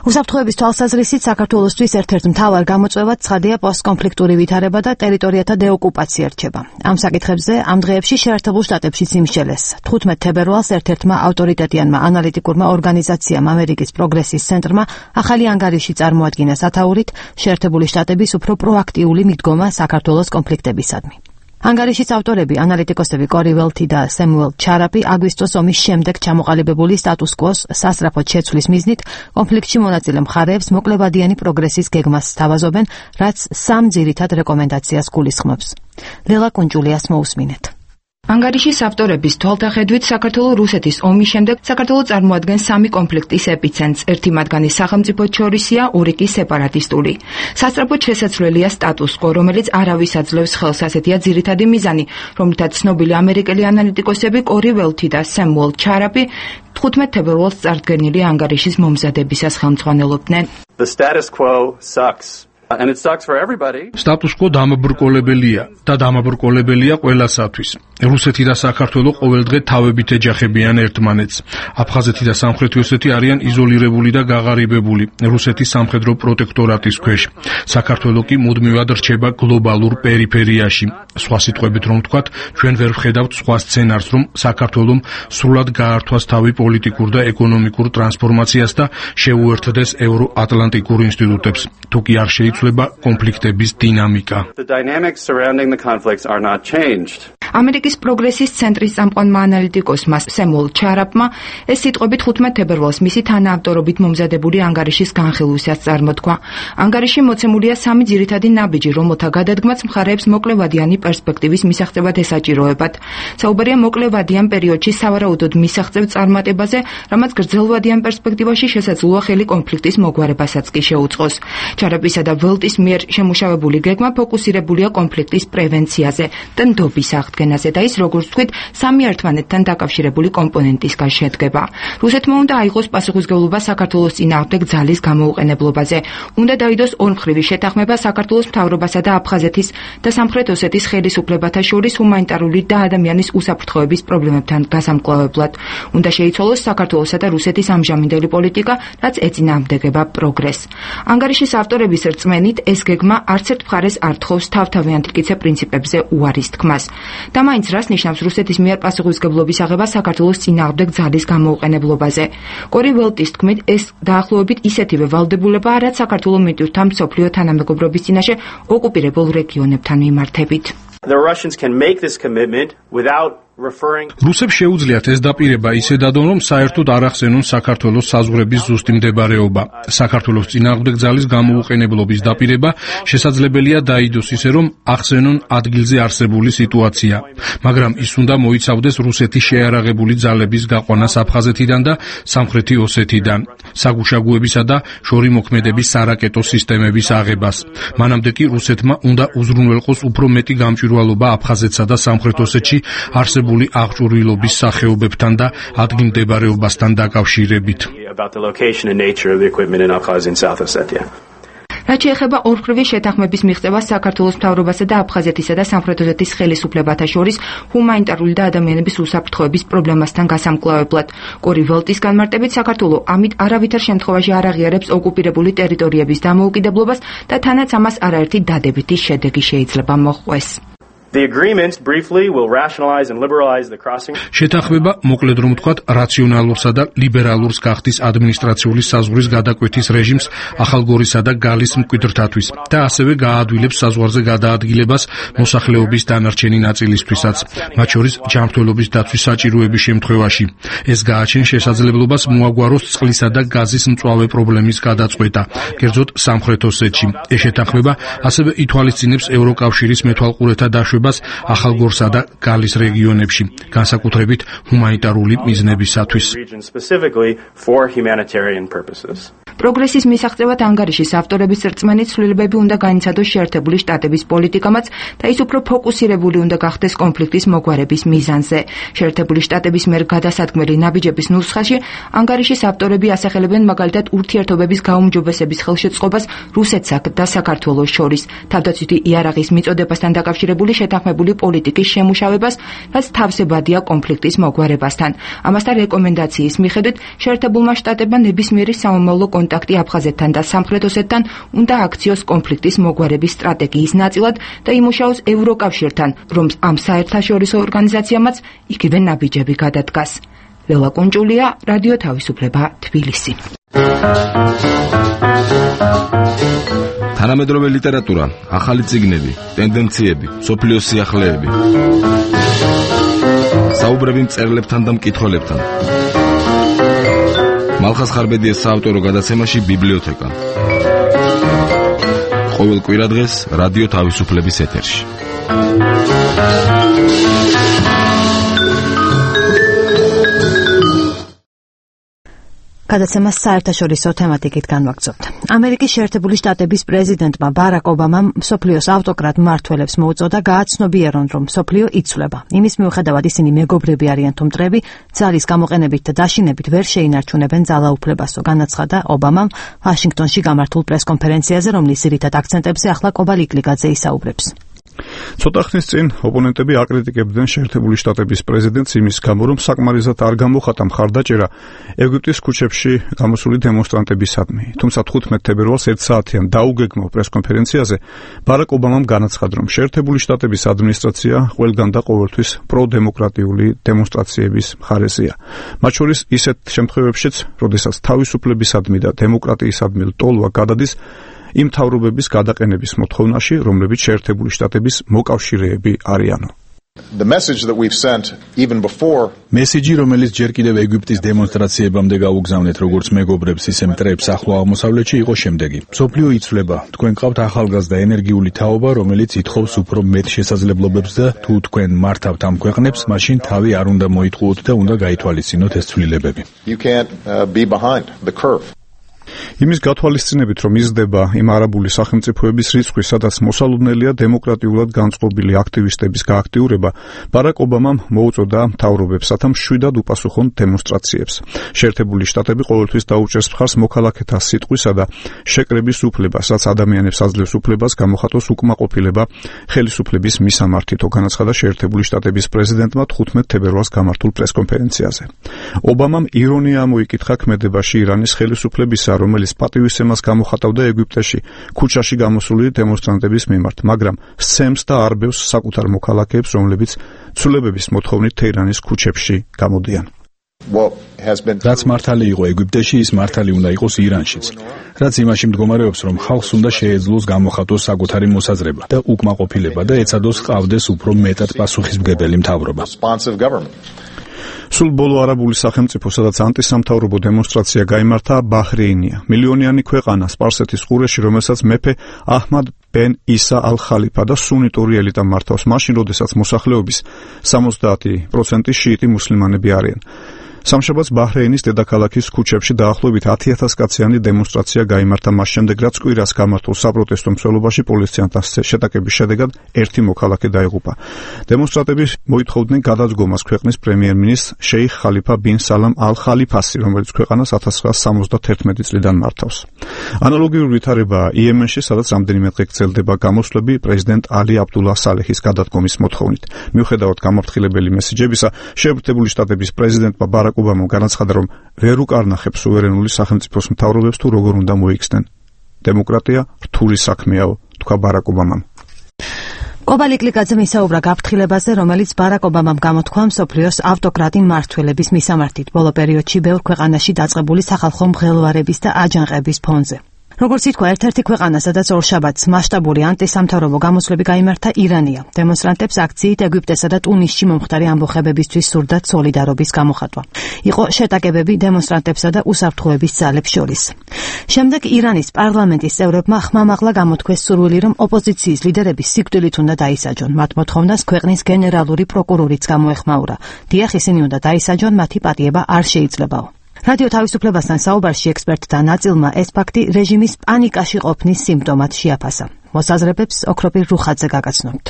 უსაფრთხოების თვალსაზრისით საქართველოსთვის ერთ-ერთ მთავარ გამოწვევად ცხადია პოსტკონფლიქტური ვითარება და ტერიტორიათა დეოკუპაცია რჩება. ამ საკითხებზე ამ დღეებში შეერთებულ შტატებშიც იმსჯელეს. თხუთმეტ თებერვალს ერთ-ერთმა ავტორიტეტიანმა ანალიტიკურმა ორგანიზაციამ ამერიკის პროგრესის ცენტრმა ახალი ანგარიში წარმოადგინა სათაურით შეერთებული შტატების უფრო პროაქტიული მიდგომა საქართველოს კონფლიქტებისადმი. ანგარიშის ავტორები ანალიტიკოსები კორი ველთი და სემუელ ჩარაპი აგვისტოს ომის შემდეგ ჩამოყალიბებული სტატუს-კვოს სასწრაფოდ შეცვლის მიზნით კონფლიქტში მონაწილე მხარეებს მოკლევადიანი პროგრესის გეგმას სთავაზობენ, რაც სამ ძირითად რეკომენდაციას გულისხმობს. ლელა კუნჭულიას მოусმინეთ. ანგარიშის ავტორების თვალთახედვით საქართველო-რუსეთის ომის შემდეგ საქართველო წარმოადგენს სამი კონფლიქტის ეპიცენტრს. ერთი მათგანი სახელმწიფოებს შორისია, ორი კი სეპარატისტული. სასწრაფოდ შესაძლებელია სტატუს-კვო, რომელიც არავის აძლევს ხელს, ასეთია ძირითადი მიზანი, რომლითაც ცნობილი ამერიკელი ანალიტიკოსები კორი ველთი და სემუელ ჩარაპი თხუთმეტ თებერვალს წარდგენილი ანგარიშის მომზადებისას ხელმძღვანელობდნენ. The status quo sucks. Status quo დამაბრკოლებელია და დამაბრკოლებელია ყველასათვის. რუსეთი და საქართველო ყოველდღე თავებით ეჯახებიან ერთმანეთს. აფხაზეთი და სამხრეთი ოსეთი არიან იზოლირებული და გაღარიბებული რუსეთის სამხედრო პროტექტორატის ქვეშ. საქართველო კი მუდმივად რჩება გლობალურ პერიფერიაში. სხვა სიტყვებით რომ ვთქვათ, ჩვენ ვერ ვხედავთ სხვა სცენარს, რომ საქართველომ სრულად გაართვას თავი პოლიტიკურ და ეკონომიკურ ტრანსფორმაციას და შეუერთდეს ევროატლანტიკურ ინსტიტუტებს. თუ კი არ შეიცვლება კონფლიქტების დინამიკა. ამერიკის პროგრესის ცენტრის წამყვანმა ანალიტიკოსმა სემუელ ჩარაპმა ეს სიტყვები ხუთმეტ თებერვალს მისი თანაავტორობით მომზადებული ანგარიშის განხილვისას წარმოთქვა. ანგარიში მოცემულია სამი ძირითადი ნაბიჯი, რომელთა გადადგმაც მხარეებს მოკლევადიანი პერსპექტივის მისაღწევად ესაჭიროებათ. საუბარია მოკლევადიან პერიოდში სავარაუდოდ მისაღწევ წარმატებაზე, რამაც გრძელვადიან პერსპექტივაში შესაძლოა ხელი კონფლიქტის მოგვარებასაც კი შეუწყოს. ჩარაპისა და ველტის მიერ შემუშავებული გეგმა ფოკუსირებულია კონფლიქტის პრევენციაზე და ნდობის აღდგენაზე და ის, როგორც ვთქვით, სამი ერთმანეთთან დაკავშირებული კომპონენტისგან შედგება. რუსეთმა უნდა აიღოს პასუხისმგებლობა საქართველოს წინააღმდეგ ძალის გამოუყენებლობაზე. უნდა დაიდოს ორმხრივი შეთანხმება საქართველოს მთავრობასა და აფხაზეთის და სამხრეთ ოსეთის ხელისუფლებათა შორის ჰუმანიტარული და ადამიანის უსაფრთხოების პრობლემებთან გასამკლავებლად. უნდა შეიცვალოს საქართველოსა და რუსეთის ამჟამინდელი პოლიტიკა, რაც ეწინააღმდეგება პროგრესს. ანგარიშის ავტორების რწმენით, ეს გეგმა არც ერთ მხარეს არ თხოვს თავთავიანთ მტკიცე პრინციპებზე უარის თქმას. და მაინც რას ნიშნავს რუსეთის მიერ პასუხისმგებლობის აღება საქართველოს წინააღმდეგ ძალის გამოუყენებლობაზე. კორი ველტის თქმით, ეს დაახლოებით ისეთივე ვალდებულებაა, რაც საქართველოს მიტვირთა მსოფლიო თანამეგობრობის წინაშე ოკუპირებულ რეგიონებთან მიმართებით. The Russians can make this commitment without რუსებს შეუძლიათ ეს დაპირება ისე დადონ, რომ საერთოდ არ ახსენონ საქართველოს საზღვრების ზუსტი მდებარეობა. საქართველოს წინააღმდეგ ძალის გამოუყენებლობის დაპირება შესაძლებელია დაიდოს ისე, რომ ახსენონ ადგილზე არსებული სიტუაცია. მაგრამ ის უნდა მოიცავდეს რუსეთის შეარაღებული ძალების გაყვანას აფხაზეთიდან და სამხრეთი ოსეთიდან, საგუშაგოებისა და შორიმოქმედების სარაკეტო სისტემების აღებას. მანამდე კი რუსეთმა უნდა უზრუნველყოს უფრო მეტი გამჭვირვალობა აფხაზეთსა და სამხრეთ ოსეთში არსებულ აღჭურვილობის სახეობებთან და ადგილმდებარეობასთან დაკავშირებით. რაც შეეხება ორმხრივი შეთანხმების მიღწევას საქართველოს მთავრობასა და აფხაზეთისა და სამხრეთ ოსეთის ხელისუფლებათა შორის ჰუმანიტარული და ადამიანების უსაფრთხოების პრობლემასთან გასამკლავებლად. კორი ველტის განმარტებით, საქართველო ამით არავითარ შემთხვევაში არ აღიარებს ოკუპირებული ტერიტორიების დამოუკიდებლობას და თანაც ამას არაერთი დადებითი შედეგი შეიძლება მოჰყვეს. The agreement briefly will rationalize and liberalize the crossing. შეთანხმება მოკლედ რომ ვთქვათ, რაციონალურსა და ლიბერალურს გახდის ადმინისტრაციული საზღვრის გადაკვეთის რეჟიმს ახალგორისა და გალის მკვიდრთათვის და ასევე გააადვილებს საზღვარზე გადაადგილებას მოსახლეობის დანარჩენი ნაწილისთვისაც, მათ შორის ჯანმრთელობის დაცვის საჭიროების შემთხვევაში. ეს გააჩენს შესაძლებლობას მოაგვაროს წყლისა და გაზის მწვავე პრობლემის გადაწყვეტა, კერძოდ სამხრეთ ოსეთში. ეს შეთანხმება ასევე ითვალისწინებს ევროკავშირის მეთვალყურეთა დაშვებას ახალგორსა და გალის რეგიონებში, განსაკუთრებით ჰუმანიტარული მიზნებისათვის. პროგრესის მისაღწევად ანგარიშის ავტორების რწმენით, ცვლილებები უნდა განიცადოს შეერთებული შტატების პოლიტიკამაც და ის უფრო ფოკუსირებული უნდა გახდეს კონფლიქტის მოგვარების მიზანზე. შეერთებული შტატების მიერ გადასადგმელი ნაბიჯების ნუსხაში ანგარიშის ავტორები ასახელებენ მაგალითად ურთიერთობების გაუმჯობესების ხელშეწყობას რუსეთსა და საქართველოს შორის, თავდაცვითი იარაღის მიწოდებასთან დაკავშირებული შეთანხმებული პოლიტიკის შემუშავებას, რაც თავსებადია კონფლიქტის მოგვარებასთან. ამასთან რეკომენდაციის მიხედვით შეერთებულმა შტატებმა ნებისმიერი სამომავლო კონტაქტი აფხაზეთთან და სამხრეთ ოსეთთან უნდა აქციოს კონფლიქტის მოგვარების სტრატეგიის ნაწილად და იმუშაოს ევროკავშირთან, რომ ამ საერთაშორისო ორგანიზაციამაც იგივე ნაბიჯები გადადგას. ლელა კუნჭულია, რადიო თავისუფლება, თბილისი. თანამედროვე ლიტერატურა, ახალი წიგნები, ტენდენციები, სოფლიოს სიახლეები. საუბრები მწერლებთან და მკითხველებთან. მალხაზ ხარბედიას საავტორო გადაცემაში ბიბლიოთეკა. ყოველ კვირადღეს რადიო თავისუფლების ეთერში. გადაცემას საერთაშორისო თემატიკით განვაგრძობთ. ამერიკის შეერთებული შტატების პრეზიდენტმა ბარაკ ობამამ მსოფლიოს ავტოკრატ მმართველებს მოუწოდა გააცნობიერონ, რომ მსოფლიო იცვლება. იმის მიუხედავად ისინი მეგობრები არიან თუ მტრები, ძალის გამოყენებით და დაშინებით ვერ შეინარჩუნებენ ძალაუფლებასო, განაცხადა ობამამ ვაშინგტონში გამართულ პრესკონფერენციაზე, რომლის ძირითად აქცენტებზე ახლა კობა ლიკლიკაძე ისაუბრებს. ცოტა ხნის წინ ოპონენტები აკრიტიკებდნენ შეერთებული შტატების პრეზიდენტს იმის გამო, რომ საკმარისად არ გამოხატა მხარდაჭერა ეგვიპტის ქუჩებში გამოსული დემონსტრანტებისადმი. თუმცა თხუთმეტ თებერვალს ერთ საათიან დაუგეგმო პრესკონფერენციაზე ბარაკ ობამამ განაცხადა, რომ შეერთებული შტატების ადმინისტრაცია ყველგან და ყოველთვის პროდემოკრატიული დემონსტრაციების მხარეზეა. მათ შორის ისეთ შემთხვევებშიც, როდესაც თავისუფლებისადმი და დემოკრატიისადმი ლტოლვა გადადის იმ თავრობების გადაყენების მოთხოვნაში, რომლებიც შეერთებული შტატების მოკავშირეები არიანო. The message that we've sent even before მესიჯი, რომელიც ჯერ კიდევ ეგვიპტის დემონსტრაციებამდე გაუგზავნეთ როგორც მეგობრებს, ისე მტრებს ახლო აღმოსავლეთში, იყო შემდეგი. მსოფლიო იცვლება. თქვენ გყავთ ახალგაზრდა ენერგიული თაობა, რომელიც ითხოვს უფრო მეტ შესაძლებლობებს და თუ თქვენ მართავთ ამ ქვეყნებს, მაშინ თავი არ უნდა მოიტყუოთ და უნდა გაითვალისწინოთ ეს ცვლილებები. You can't uh, be behind the curve. იმის გათვალისწინებით, რომ იზრდება იმ არაბული სახელმწიფოების რიცხვი, სადაც მოსალოდნელია დემოკრატიულად განწყობილი აქტივისტების გააქტიურება, ბარაკ ობამამ მოუწოდა მთავრობებსათა მშვიდად უპასუხონ დემონსტრაციებს. შეერთებული შტატები ყოველთვის დაუჭერს მხარს მოქალაქეთა სიტყვისა და შეკრების უფლებას, რაც ადამიანებს აძლევს უფლებას გამოხატოს უკმაყოფილება ხელისუფლების მისამართითო, განაცხადა შეერთებული შტატების პრეზიდენტმა თხუთმეტ თებერვალს გამართულ პრესკონფერენციაზე. ობამამ ირონია ამოიკითხა ქმედებაში ირანის ხელისუფლებისა, რომელიც პატივისცემას გამოხატავდა ეგვიპტეში ქუჩაში გამოსული დემონსტრანტების მიმართ, მაგრამ სცემს და არბევს საკუთარ მოქალაქეებს, რომლებიც ცვლილებების მოთხოვნით თეირანის ქუჩებში გამოდიან. რაც მართალი იყო ეგვიპტეში, ის მართალი უნდა იყოს ირანშიც. რაც იმაში მდგომარეობს, რომ ხალხს უნდა შეეძლოს გამოხატოს საკუთარი მოსაზრება და უკმაყოფილება და ეცადოს ყავდეს უფრო მეტად პასუხისმგებელი მთავრობა. სულ ბოლო არაბული სახელმწიფო, სადაც ანტისამთავრობო დემონსტრაცია გაიმართა, ბაჰრეინია. მილიონიანი ქვეყანა სპარსეთის ყურეში, რომელსაც მეფე აჰმად ბენ ისა ალ-ხალიფა და სუნიტური ელიტა მართავს, მაშინ, როდესაც მოსახლეობის სამოცდაათი პროცენტი შიიტი მუსლიმანები არიან. სამშაბათს ბაჰრეინის დედაქალაქის ქუჩებში დაახლოებით ათი ათას კაციანი დემონსტრაცია გაიმართა, მას შემდეგ რაც კვირას გამართულ საპროტესტო მსვლელობაში პოლიციასთან შეტაკების შედეგად ერთი მოქალაქე დაიღუპა. დემონსტრანტები მოითხოვდნენ გადაძგომას ქვეყნის პრემიერ-მინისტრ შეიხ ხალიფა ბინ სალამ ალ-ხალიფასი, რომელიც ქვეყანას ათას ცხრაასა სამოცდათერთმეტი წლიდან მართავს. ანალოგიური ვითარებაა იემენში, სადაც რამდენიმე დღე გრძელდება გამოსვლები პრეზიდენტ ალი აბდულა სალეჰის გადადგომის მოთხოვნით. მიუხედავად გამაფრთხილებელი მესიჯებისა, შეერთებული შტატების პრეზიდენტმა ბარაკ ობამამ განაცხადა, რომ ვერ უკარნახებს სუვერენული სახელმწიფოს მთავრობებს თუ როგორ უნდა მოიქცნენ. დემოკრატია რთული საქმეაო, თქვა ბარაკ ობამამ. კობა ლიკლიკაძემ ისაუბრა გაფრთხილებაზე, რომელიც ბარაკ ობამამ გამოთქვა მსოფლიოს ავტოკრატი მმართველების მისამართით ბოლო პერიოდში ბევრ ქვეყანაში დაწყებული სახალხო მღელვარების და აჯანყების ფონზე. როგორც ითქვა, ერთ-ერთი ქვეყანა, სადაც ორშაბათს მასშტაბური ანტისამთავრობო გამოსვლები გაიმართა, ირანია. დემონსტრანტებს აქციით ეგვიპტესა და ტუნისში მომხდარი ამბოხებებისთვის სურდათ სოლიდარობის გამოხატვა. იყო შეტაკებები დემონსტრანტებსა და უსაფრთხოების ძალებს შორის. შემდეგ ირანის პარლამენტის წევრებმა ხმამაღლა გამოთქვეს სურვილი, რომ ოპოზიციის ლიდერები სიკვდილით უნდა დაისაჯონ. მათ მოთხოვნას ქვეყნის გენერალური პროკურორიც გამოეხმაურა. დიახ, ისინი უნდა დაისაჯონ, მათი პატიება არ შეიძლებაო. რადიო თავისუფლებასთან საუბარში ექსპერტთა ნაწილმა ეს ფაქტი რეჟიმის პანიკაში ყოფნის სიმპტომად შეაფასა. მოსაზრებებს ოქროპირ რუხაძე გაგაცნობთ.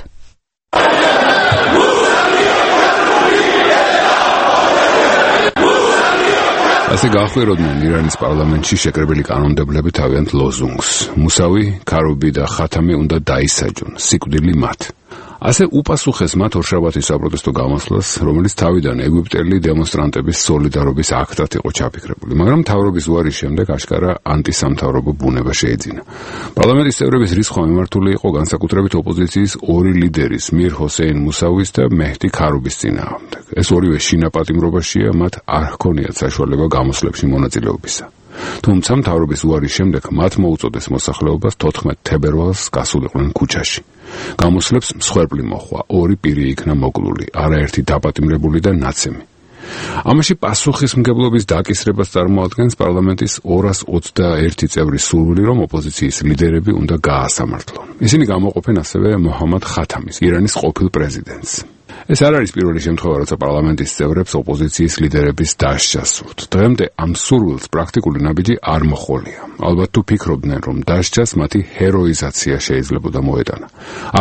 ასე გაახვიროდნენ ირანის პარლამენტში შეკრებილი კანონმდებლები თავიანთ ლოზუნგს. მუსავი, ქარუბი და ხათამი უნდა დაისაჯონ, სიკვდილი მათ. ასე უპასუხეს მათ ორშაბათის საპროტესტო გამოსვლას, რომელიც თავიდან ეგვიპტელი დემონსტრანტების სოლიდარობის აქტად იყო ჩაფიქრებული, მაგრამ მთავრობის უარის შემდეგ აშკარა ანტისამთავრობო ბუნება შეეძინა. პარლამენტის წევრების რისხვა მიმართული იყო განსაკუთრებით ოპოზიციის ორი ლიდერის, მիր ჰოსეინ მუსავის და მეჰდი ქარუბის წინააღმდეგ. ეს ორივე შინაპატიმრობაშია, მათ არ ჰქონიათ საშუალება გამოსვლებში მონაწილეობისა. თუმცა მთავრობის უარის შემდეგ მათ მოუწოდეს მოსახლეობას თოთხმეტ თებერვალს გასულიყვნენ ქუჩაში. გამოსვლებს მსხვერპლი მოჰყვა, ორი პირი იქნა მოკლული, არაერთი დაპატიმრებული და ნაცემი. ამაში პასუხისმგებლობის დაკისრებას წარმოადგენს პარლამენტის ორას ოცდაერთი წევრის სურვილი, რომ ოპოზიციის ლიდერები უნდა გაასამართლონ. ისინი გამოყოფენ ასევე მოჰამად ხათამის, ირანის ყოფილ პრეზიდენტს. ეს არ არის პირველი შემთხვევა, როცა პარლამენტის წევრებს ოპოზიციის ლიდერების დასჯა სურთ. დღემდე ამ სურვილს პრაქტიკული ნაბიჯი არ მოჰყოლია. ალბათ თუ ფიქრობდნენ, რომ დასჯას მათი ჰეროიზაცია შეიძლებოდა მოეტანა.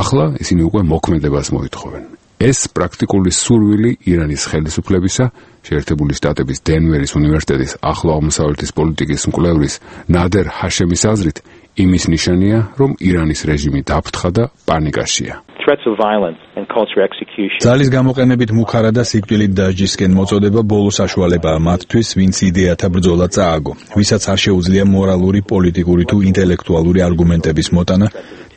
ახლა ისინი უკვე მოქმედებას მოითხოვენ. ეს პრაქტიკული სურვილი ირანის ხელისუფლებისა, შეერთებული შტატების დენვერის უნივერსიტეტის ახლო აღმოსავლეთის პოლიტიკის მკვლევრის ნადერ ჰაშემის აზრით, იმის ნიშანია, რომ ირანის რეჟიმი დაფრთხა და პანიკაშია. ძალის გამოყენებით მუხარა და სიკვდილით დასჯისკენ მოწოდება ბოლო საშუალებაა მათთვის, ვინც იდეათა ბრძოლა წააგო, ვისაც არ შეუძლია მორალური, პოლიტიკური თუ ინტელექტუალური არგუმენტების მოტანა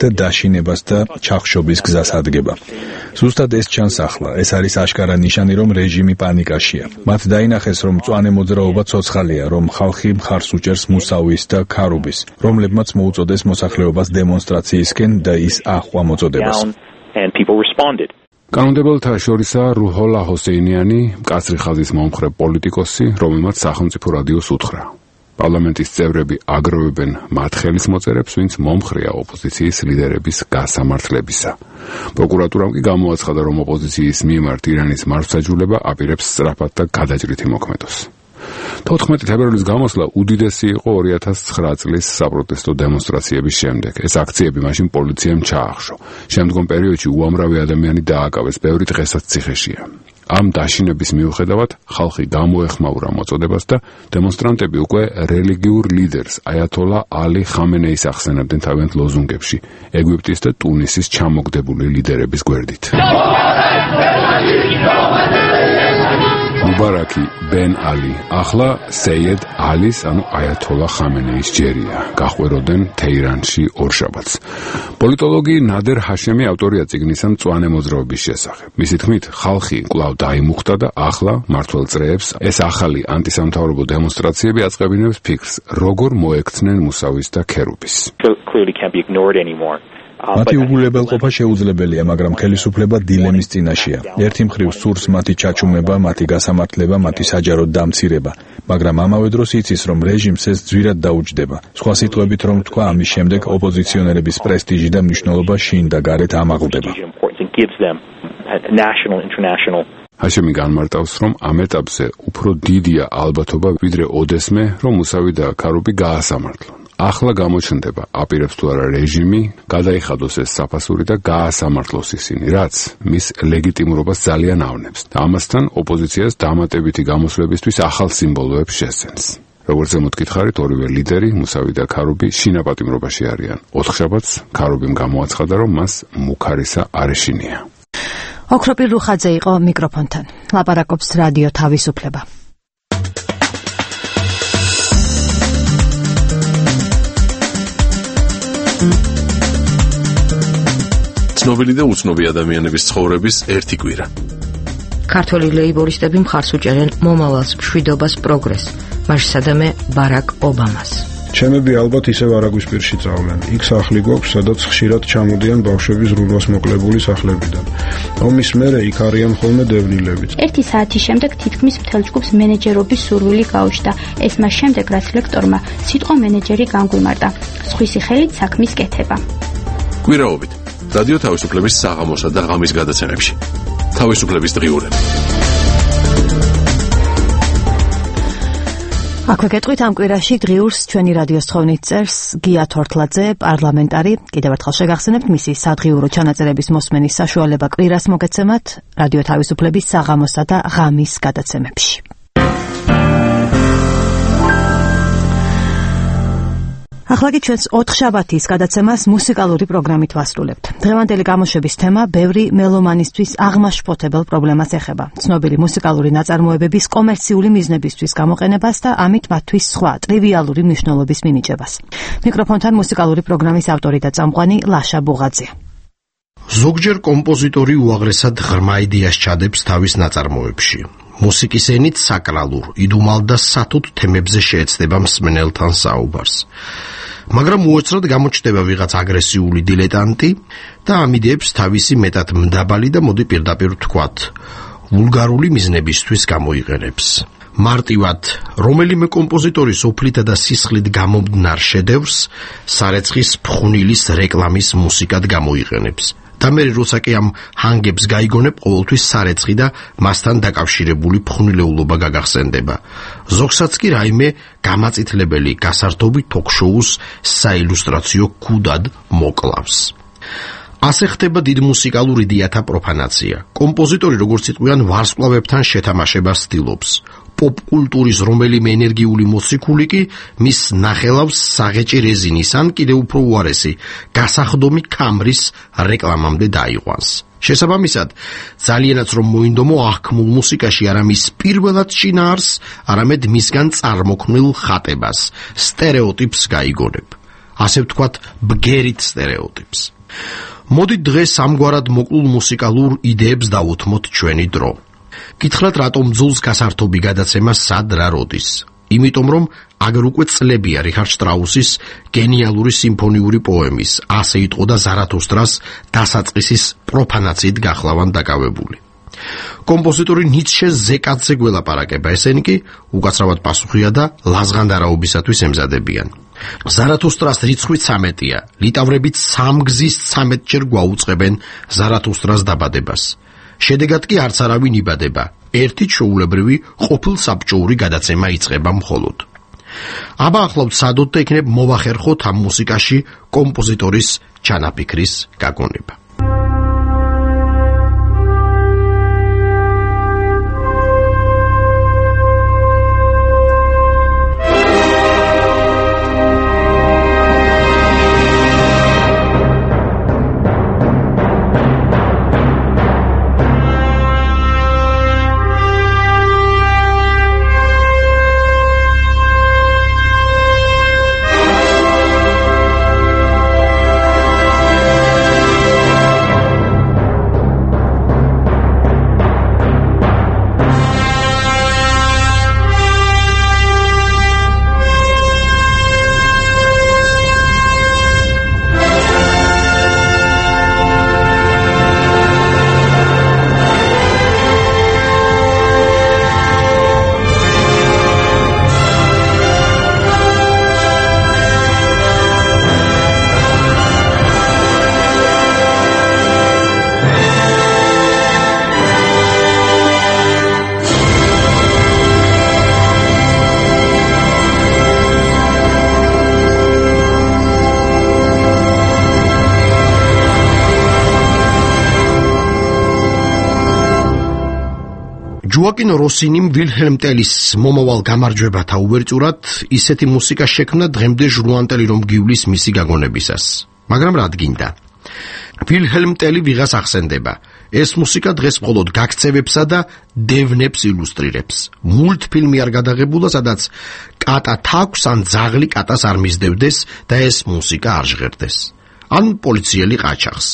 და დაშინებას და ჩახშობის გზას ადგება. ზუსტად ეს ჩანს ახლა, ეს არის აშკარა ნიშანი, რომ რეჟიმი პანიკაშია. მათ დაინახეს, რომ მწვანე მოძრაობა ცოცხალია, რომ ხალხი მხარს უჭერს მუსავის და ქარუბის, რომლებმაც მოუწოდეს მოსახლეობას დემონსტრაციისკენ და ის აჰყვა მოწოდებას. კანონმდებელთა შორისაა რუჰოლა ჰოსეინიანი, მკაცრი ხაზის მომხრე პოლიტიკოსი, რომელმაც სახელმწიფო რადიოს უთხრა. პარლამენტის წევრები აგროვებენ მათ ხელისმოწერებს, ვინც მომხრეა ოპოზიციის ლიდერების გასამართლებისა. პროკურატურამ კი გამოაცხადა, რომ ოპოზიციის მიმართ ირანის მართლმსაჯულება აპირებს სწრაფად და გადაჭრით იმოქმედოს. თოთხმეტი თებერვლის გამოსვლა უდიდესი იყო ორი ათას ცხრა წლის საპროტესტო დემონსტრაციების შემდეგ. ეს აქციები მაშინ პოლიციამ ჩაახშო. შემდგომ პერიოდში უამრავი ადამიანი დააკავეს, ბევრი დღესაც ციხეშია. ამ დაშინების მიუხედავად ხალხი გამოეხმაურა მოწოდებას და დემონსტრანტები უკვე რელიგიურ ლიდერს აიათოლა ალი ხამენეის ახსენებდნენ თავიანთ ლოზუნგებში ეგვიპტის და ტუნისის ჩამოგდებული ლიდერების გვერდით. მუბარაკი ბენ ალი ახლა სეიედ ალის ანუ აიათოლა ხამენეის ჯერია. გაყვეროდნენ თეირანში ორშაბათს. პოლიტოლოგი ნადერ ჰაშემი ავტორია წიგნისა მწვანე მოძრაობის შესახებ. მისი თქმით, ხალხი კვლავ დაიმუხტა და ახლა მართველ წრეებს ეს ახალი ანტისამთავრობო დემონსტრაციები აწყებინებს ფიქრს, როგორ მოექცნენ მუსავის და ქერუბის. მათი უგულებელყოფა შეუძლებელია, მაგრამ ხელისუფლება დილემის წინაშეა. ერთი მხრივ სურს მათი ჩაჩუმება, მათი გასამართლება, მათი საჯარო დამცირება, მაგრამ ამავე დროს იცის, რომ რეჟიმს ეს ძვირად დაუჯდება. სხვა სიტყვებით რომ თქვა, ამის შემდეგ ოპოზიციონერების პრესტიჟი და მნიშვნელობა შინ და გარეთ ამაღლდება. ჰაშემი განმარტავს, რომ ამ ეტაპზე უფრო დიდია ალბათობა, ვიდრე ოდესმე, რომ მუსავი და ქარუბი გაასამართლონ. ახლა გამოჩნდება, აპირებს თუ არა რეჟიმი, გადაიხადოს ეს საფასური და გაასამართლოს ისინი, რაც მის ლეგიტიმურობას ძალიან ავნებს. და ამასთან ოპოზიციას დამატებითი გამოსვლებისთვის ახალ სიმბოლოებს შესცენს. როგორც ზემოთ გითხარით, ორივე ლიდერი, მუსავი და ქარუბი შინაპატიმრობაში არიან. ოთხშაბათს ქარუბიმ გამოაცხადა, რომ მას მუქარისა არ ეშინია. ოქროპირ რუხაძე იყო მიკროფონთან. ლაპარაკობს რადიო თავისუფლება. ცნობილი და უცნობი ადამიანების ცხოვრების ერთი კვირა. ქართველი ლეიბორისტები მხარს უჭერენ მომავალს, მშვიდობას, პროგრესს, მასშტაბე ბარაკ ობამას. ჩემები ალბათ ისევ არაგვის პირში წავლენ. იქ სახლი გვაქვს, სადაც ხშირად ჩამოდიან ბავშვები ზრუნვას მოკლებული სახლებიდან. ომის მერე იქ არიან ხოლმე დევნილებიც. ერთი საათის შემდეგ თითქმის მთელ ჯგუფს მენეჯერობის სურვილი გაუჩნდა. ეს მას შემდეგ, რაც ლექტორმა სიტყვა მენეჯერი განგვიმარტა. სხვისი ხელით საქმის კეთება. კვირაობით რადიო თავისუფლების საღამოსა და ღამის გადაცემებში. თავისუფლების დღიურები. აქვე გეტყვით ამ კვირაში დღიურს ჩვენი რადიოს თხოვნით წერს გია თორთლაძე, პარლამენტარი. კიდევ ერთხელ შეგახსენებთ მისი სადღიურო ჩანაწერების მოსმენის საშუალება კვირას მოგეცემათ რადიო თავისუფლების საღამოსა და ღამის გადაცემებში. ახლა კი ჩვენს ოთხშაბათის გადაცემას მუსიკალური პროგრამით ვასრულებთ. დღევანდელი გამოშვების თემა ბევრი მელომანისთვის აღმაშფოთებელ პრობლემას ეხება. ცნობილი მუსიკალური ნაწარმოებების კომერციული მიზნებისთვის გამოყენებას და ამით მათთვის სხვა ტრივიალური მნიშვნელობის მინიჭებას. მიკროფონთან მუსიკალური პროგრამის ავტორი და წამყვანი ლაშა ბუღაძე. ზოგჯერ კომპოზიტორი უაღრესად ღრმა იდეას ჩადებს თავის ნაწარმოებში. მუსიკის ენით საკრალურ, იდუმალ და სათუთ თემებზე შეეცდება მსმენელთან საუბარს. მაგრამ უეცრად გამოჩნდება ვიღაც აგრესიული დილეტანტი და ამ იდეებს თავისი მეტად მდაბალი და მოდი პირდაპირ ვთქვათ, ვულგარული მიზნებისთვის გამოიყენებს. მარტივად, რომელიმე კომპოზიტორის ოფლითა და სისხლით გამომდნარ შედევრს სარეცხის ფხვნილის რეკლამის მუსიკად გამოიყენებს და მე როცა კი ამ ჰანგებს გაიგონებ, ყოველთვის სარეცხი და მასთან დაკავშირებული ფხვნილეულობა გაგახსენდება. ზოგსაც კი რაიმე გამაწითლებელი გასართობი თოქ-შოუს საილუსტრაციო ქუდად მოკლავს. ასე ხდება დიდ მუსიკალურ იდეათა პროფანაცია. კომპოზიტორი როგორც იტყვიან ვარსკვლავებთან შეთამაშებას ცდილობს. პოპ-კულტურის რომელიმე ენერგიული მოციქული კი მის ნახელავს საღეჭი რეზინის ან კიდევ უფრო უარესი გასახდომი ქამრის რეკლამამდე დაიყვანს. შესაბამისად, ძალიანაც რომ მოინდომო აღქმულ მუსიკაში არა მის პირველად შინაარს, არამედ მისგან წარმოქმნილ ხატებას, სტერეოტიპს გაიგონებ. ასე ვთქვათ, ბგერით სტერეოტიპს. მოდი დღეს ამგვარად მოკლულ მუსიკალურ იდეებს დავუთმოთ ჩვენი დრო. გითხრათ, რატომ ძულს გასართობი გადაცემა სად რა როდის? იმიტომ რომ აგერ უკვე წლებია რიხარდ შტრაუსის გენიალური სიმფონიური პოემის ასე იტყოდა ზარათუსტრას დასაწყისის პროფანაციით გახლავან დაკავებული. კომპოზიტორი ნიცშეს ზეკაცზე გველაპარაკება, ესენი კი უკაცრავად პასუხია და ლაზღანდარაობისათვის ემზადებიან. ზარათუსტრას რიცხვი ცამეტია, ლიტავრებით სამგზის ცამეტჯერ გვაუწყებენ ზარათუსტრას დაბადებას. შედეგად კი არც არავინ იბადება, ერთი ჩვეულებრივი ყოფილსაბჭოური გადაცემა იწყება მხოლოდ. აბა ახლავთ სადოთ და იქნებ მოვახერხოთ ამ მუსიკაში კომპოზიტორის ჩანაფიქრის გაგონება. ჯოაკინ როსინიმ ვილჰელმ ტელის მომავალ გამარჯვებათა უვერტიურად ისეთი მუსიკა შექმნა დღემდე ჟღუანტელი რომ გივლის მისი გაგონებისას. მაგრამ რა დგინდა? ვილჰელმ ტელი ვიღას ახსენდება. ეს მუსიკა დღეს მხოლოდ გაქცევებსა და დევნებს ილუსტრირებს. მულტფილმი არ გადაღებულა, სადაც კატა თაქვს ან ძაღლი კატას არ მისდევდეს და ეს მუსიკა არ ჟღერდეს. ან პოლიციელი ყაჩაღს.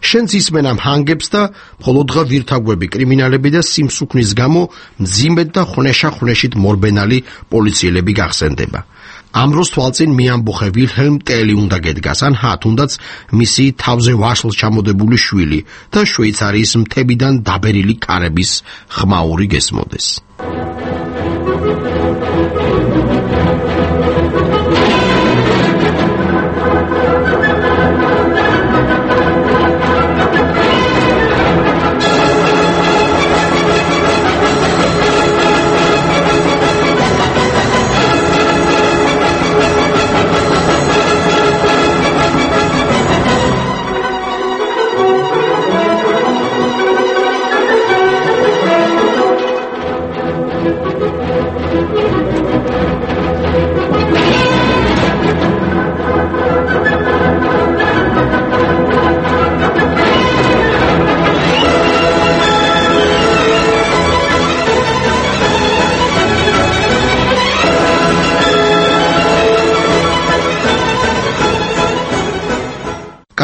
შენც ისმენ ამ ჰანგებს და მხოლოდღა ვირთაგვები, კრიმინალები და სიმსუქნის გამო მძიმედ და ხვნეშა-ხვნეშით მორბენალი პოლიციელები გახსენდება. ამ დროს თვალწინ მიამბოხე ვილჰელმ ტელი უნდა გედგას, ან ჰა თუნდაც მისი თავზე ვაშლს ჩამოდებული შვილი და შვეიცარიის მთებიდან დაბერილი კარების ხმაური გესმოდეს.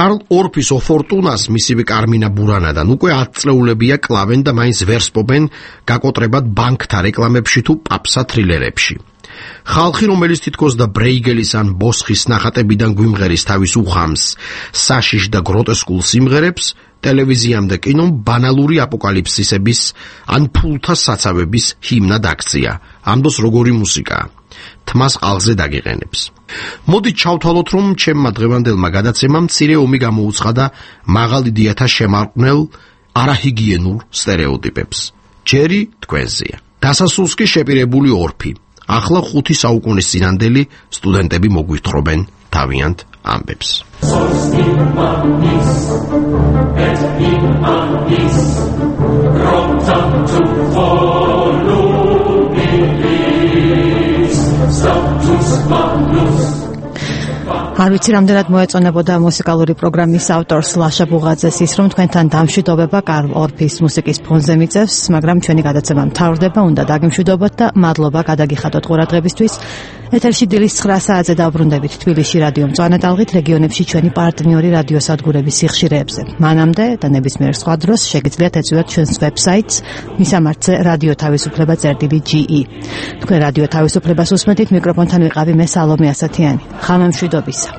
კარლ ორფის ოფორტუნას მისივე კარმინა ბურანადან უკვე ათ წლეულებია კლავენ და მაინც ვერ სპობენ გაკოტრებად ბანკთა რეკლამებში თუ პაპსა თრილერებში. ხალხი, რომელიც თითქოს და ბრეიგელის ან ბოსხის ნახატებიდან გვიმღერის თავის უხამს, საშიშ და გროტესკულ სიმღერებს, ტელევიზიამ და კინომ ბანალური აპოკალიფსისების ან ფულთა საცავების ჰიმნად აქცია. ამ დროს როგორი მუსიკაა? თმას ყალზე დაგიყენებს. მოდით ჩავთვალოთ, რომ ჩემმა დღევანდელმა გადაცემამ მცირე ომი გამოუცხადა მაღალ იდეათა შემარყვნელ არაჰიგიენურ სტერეოტიპებს. ჯერი თქვენზეა. დასასრულს კი შეპირებული ორფი. ახლა ხუთი საუკუნის წინანდელი სტუდენტები მოგვითხრობენ თავიანთ ამბებს. არ ვიცი რამდენად მოეწონებოდა მუსიკალური პროგრამის ავტორს ლაშა ბუღაძეს ის, რომ თქვენთან დამშვიდობება კარლ ორფის მუსიკის ფონზე მიწევს, მაგრამ ჩვენი გადაცემა მთავრდება, უნდა დაგიმშვიდობოთ და მადლობა გადაგიხადოთ ყურადღებისთვის. ეთერში დილის ცხრა საათზე დავბრუნდებით თბილისში რადიო მწვანე ტალღით, რეგიონებში ჩვენი პარტნიორი რადიოსადგურების სიხშირეებზე. მანამდე და ნებისმიერ სხვა დროს შეგიძლიათ ეწვიოთ ჩვენს ვებსაიტს მისამართზე რადიო თავისუფლება წერტილი ჯი ი. თქვენ რადიო თავისუფლებას უსმენთ, მიკროფონთან ვიყავი მე სალომე ასათიანი. ხამემშვიდობისა.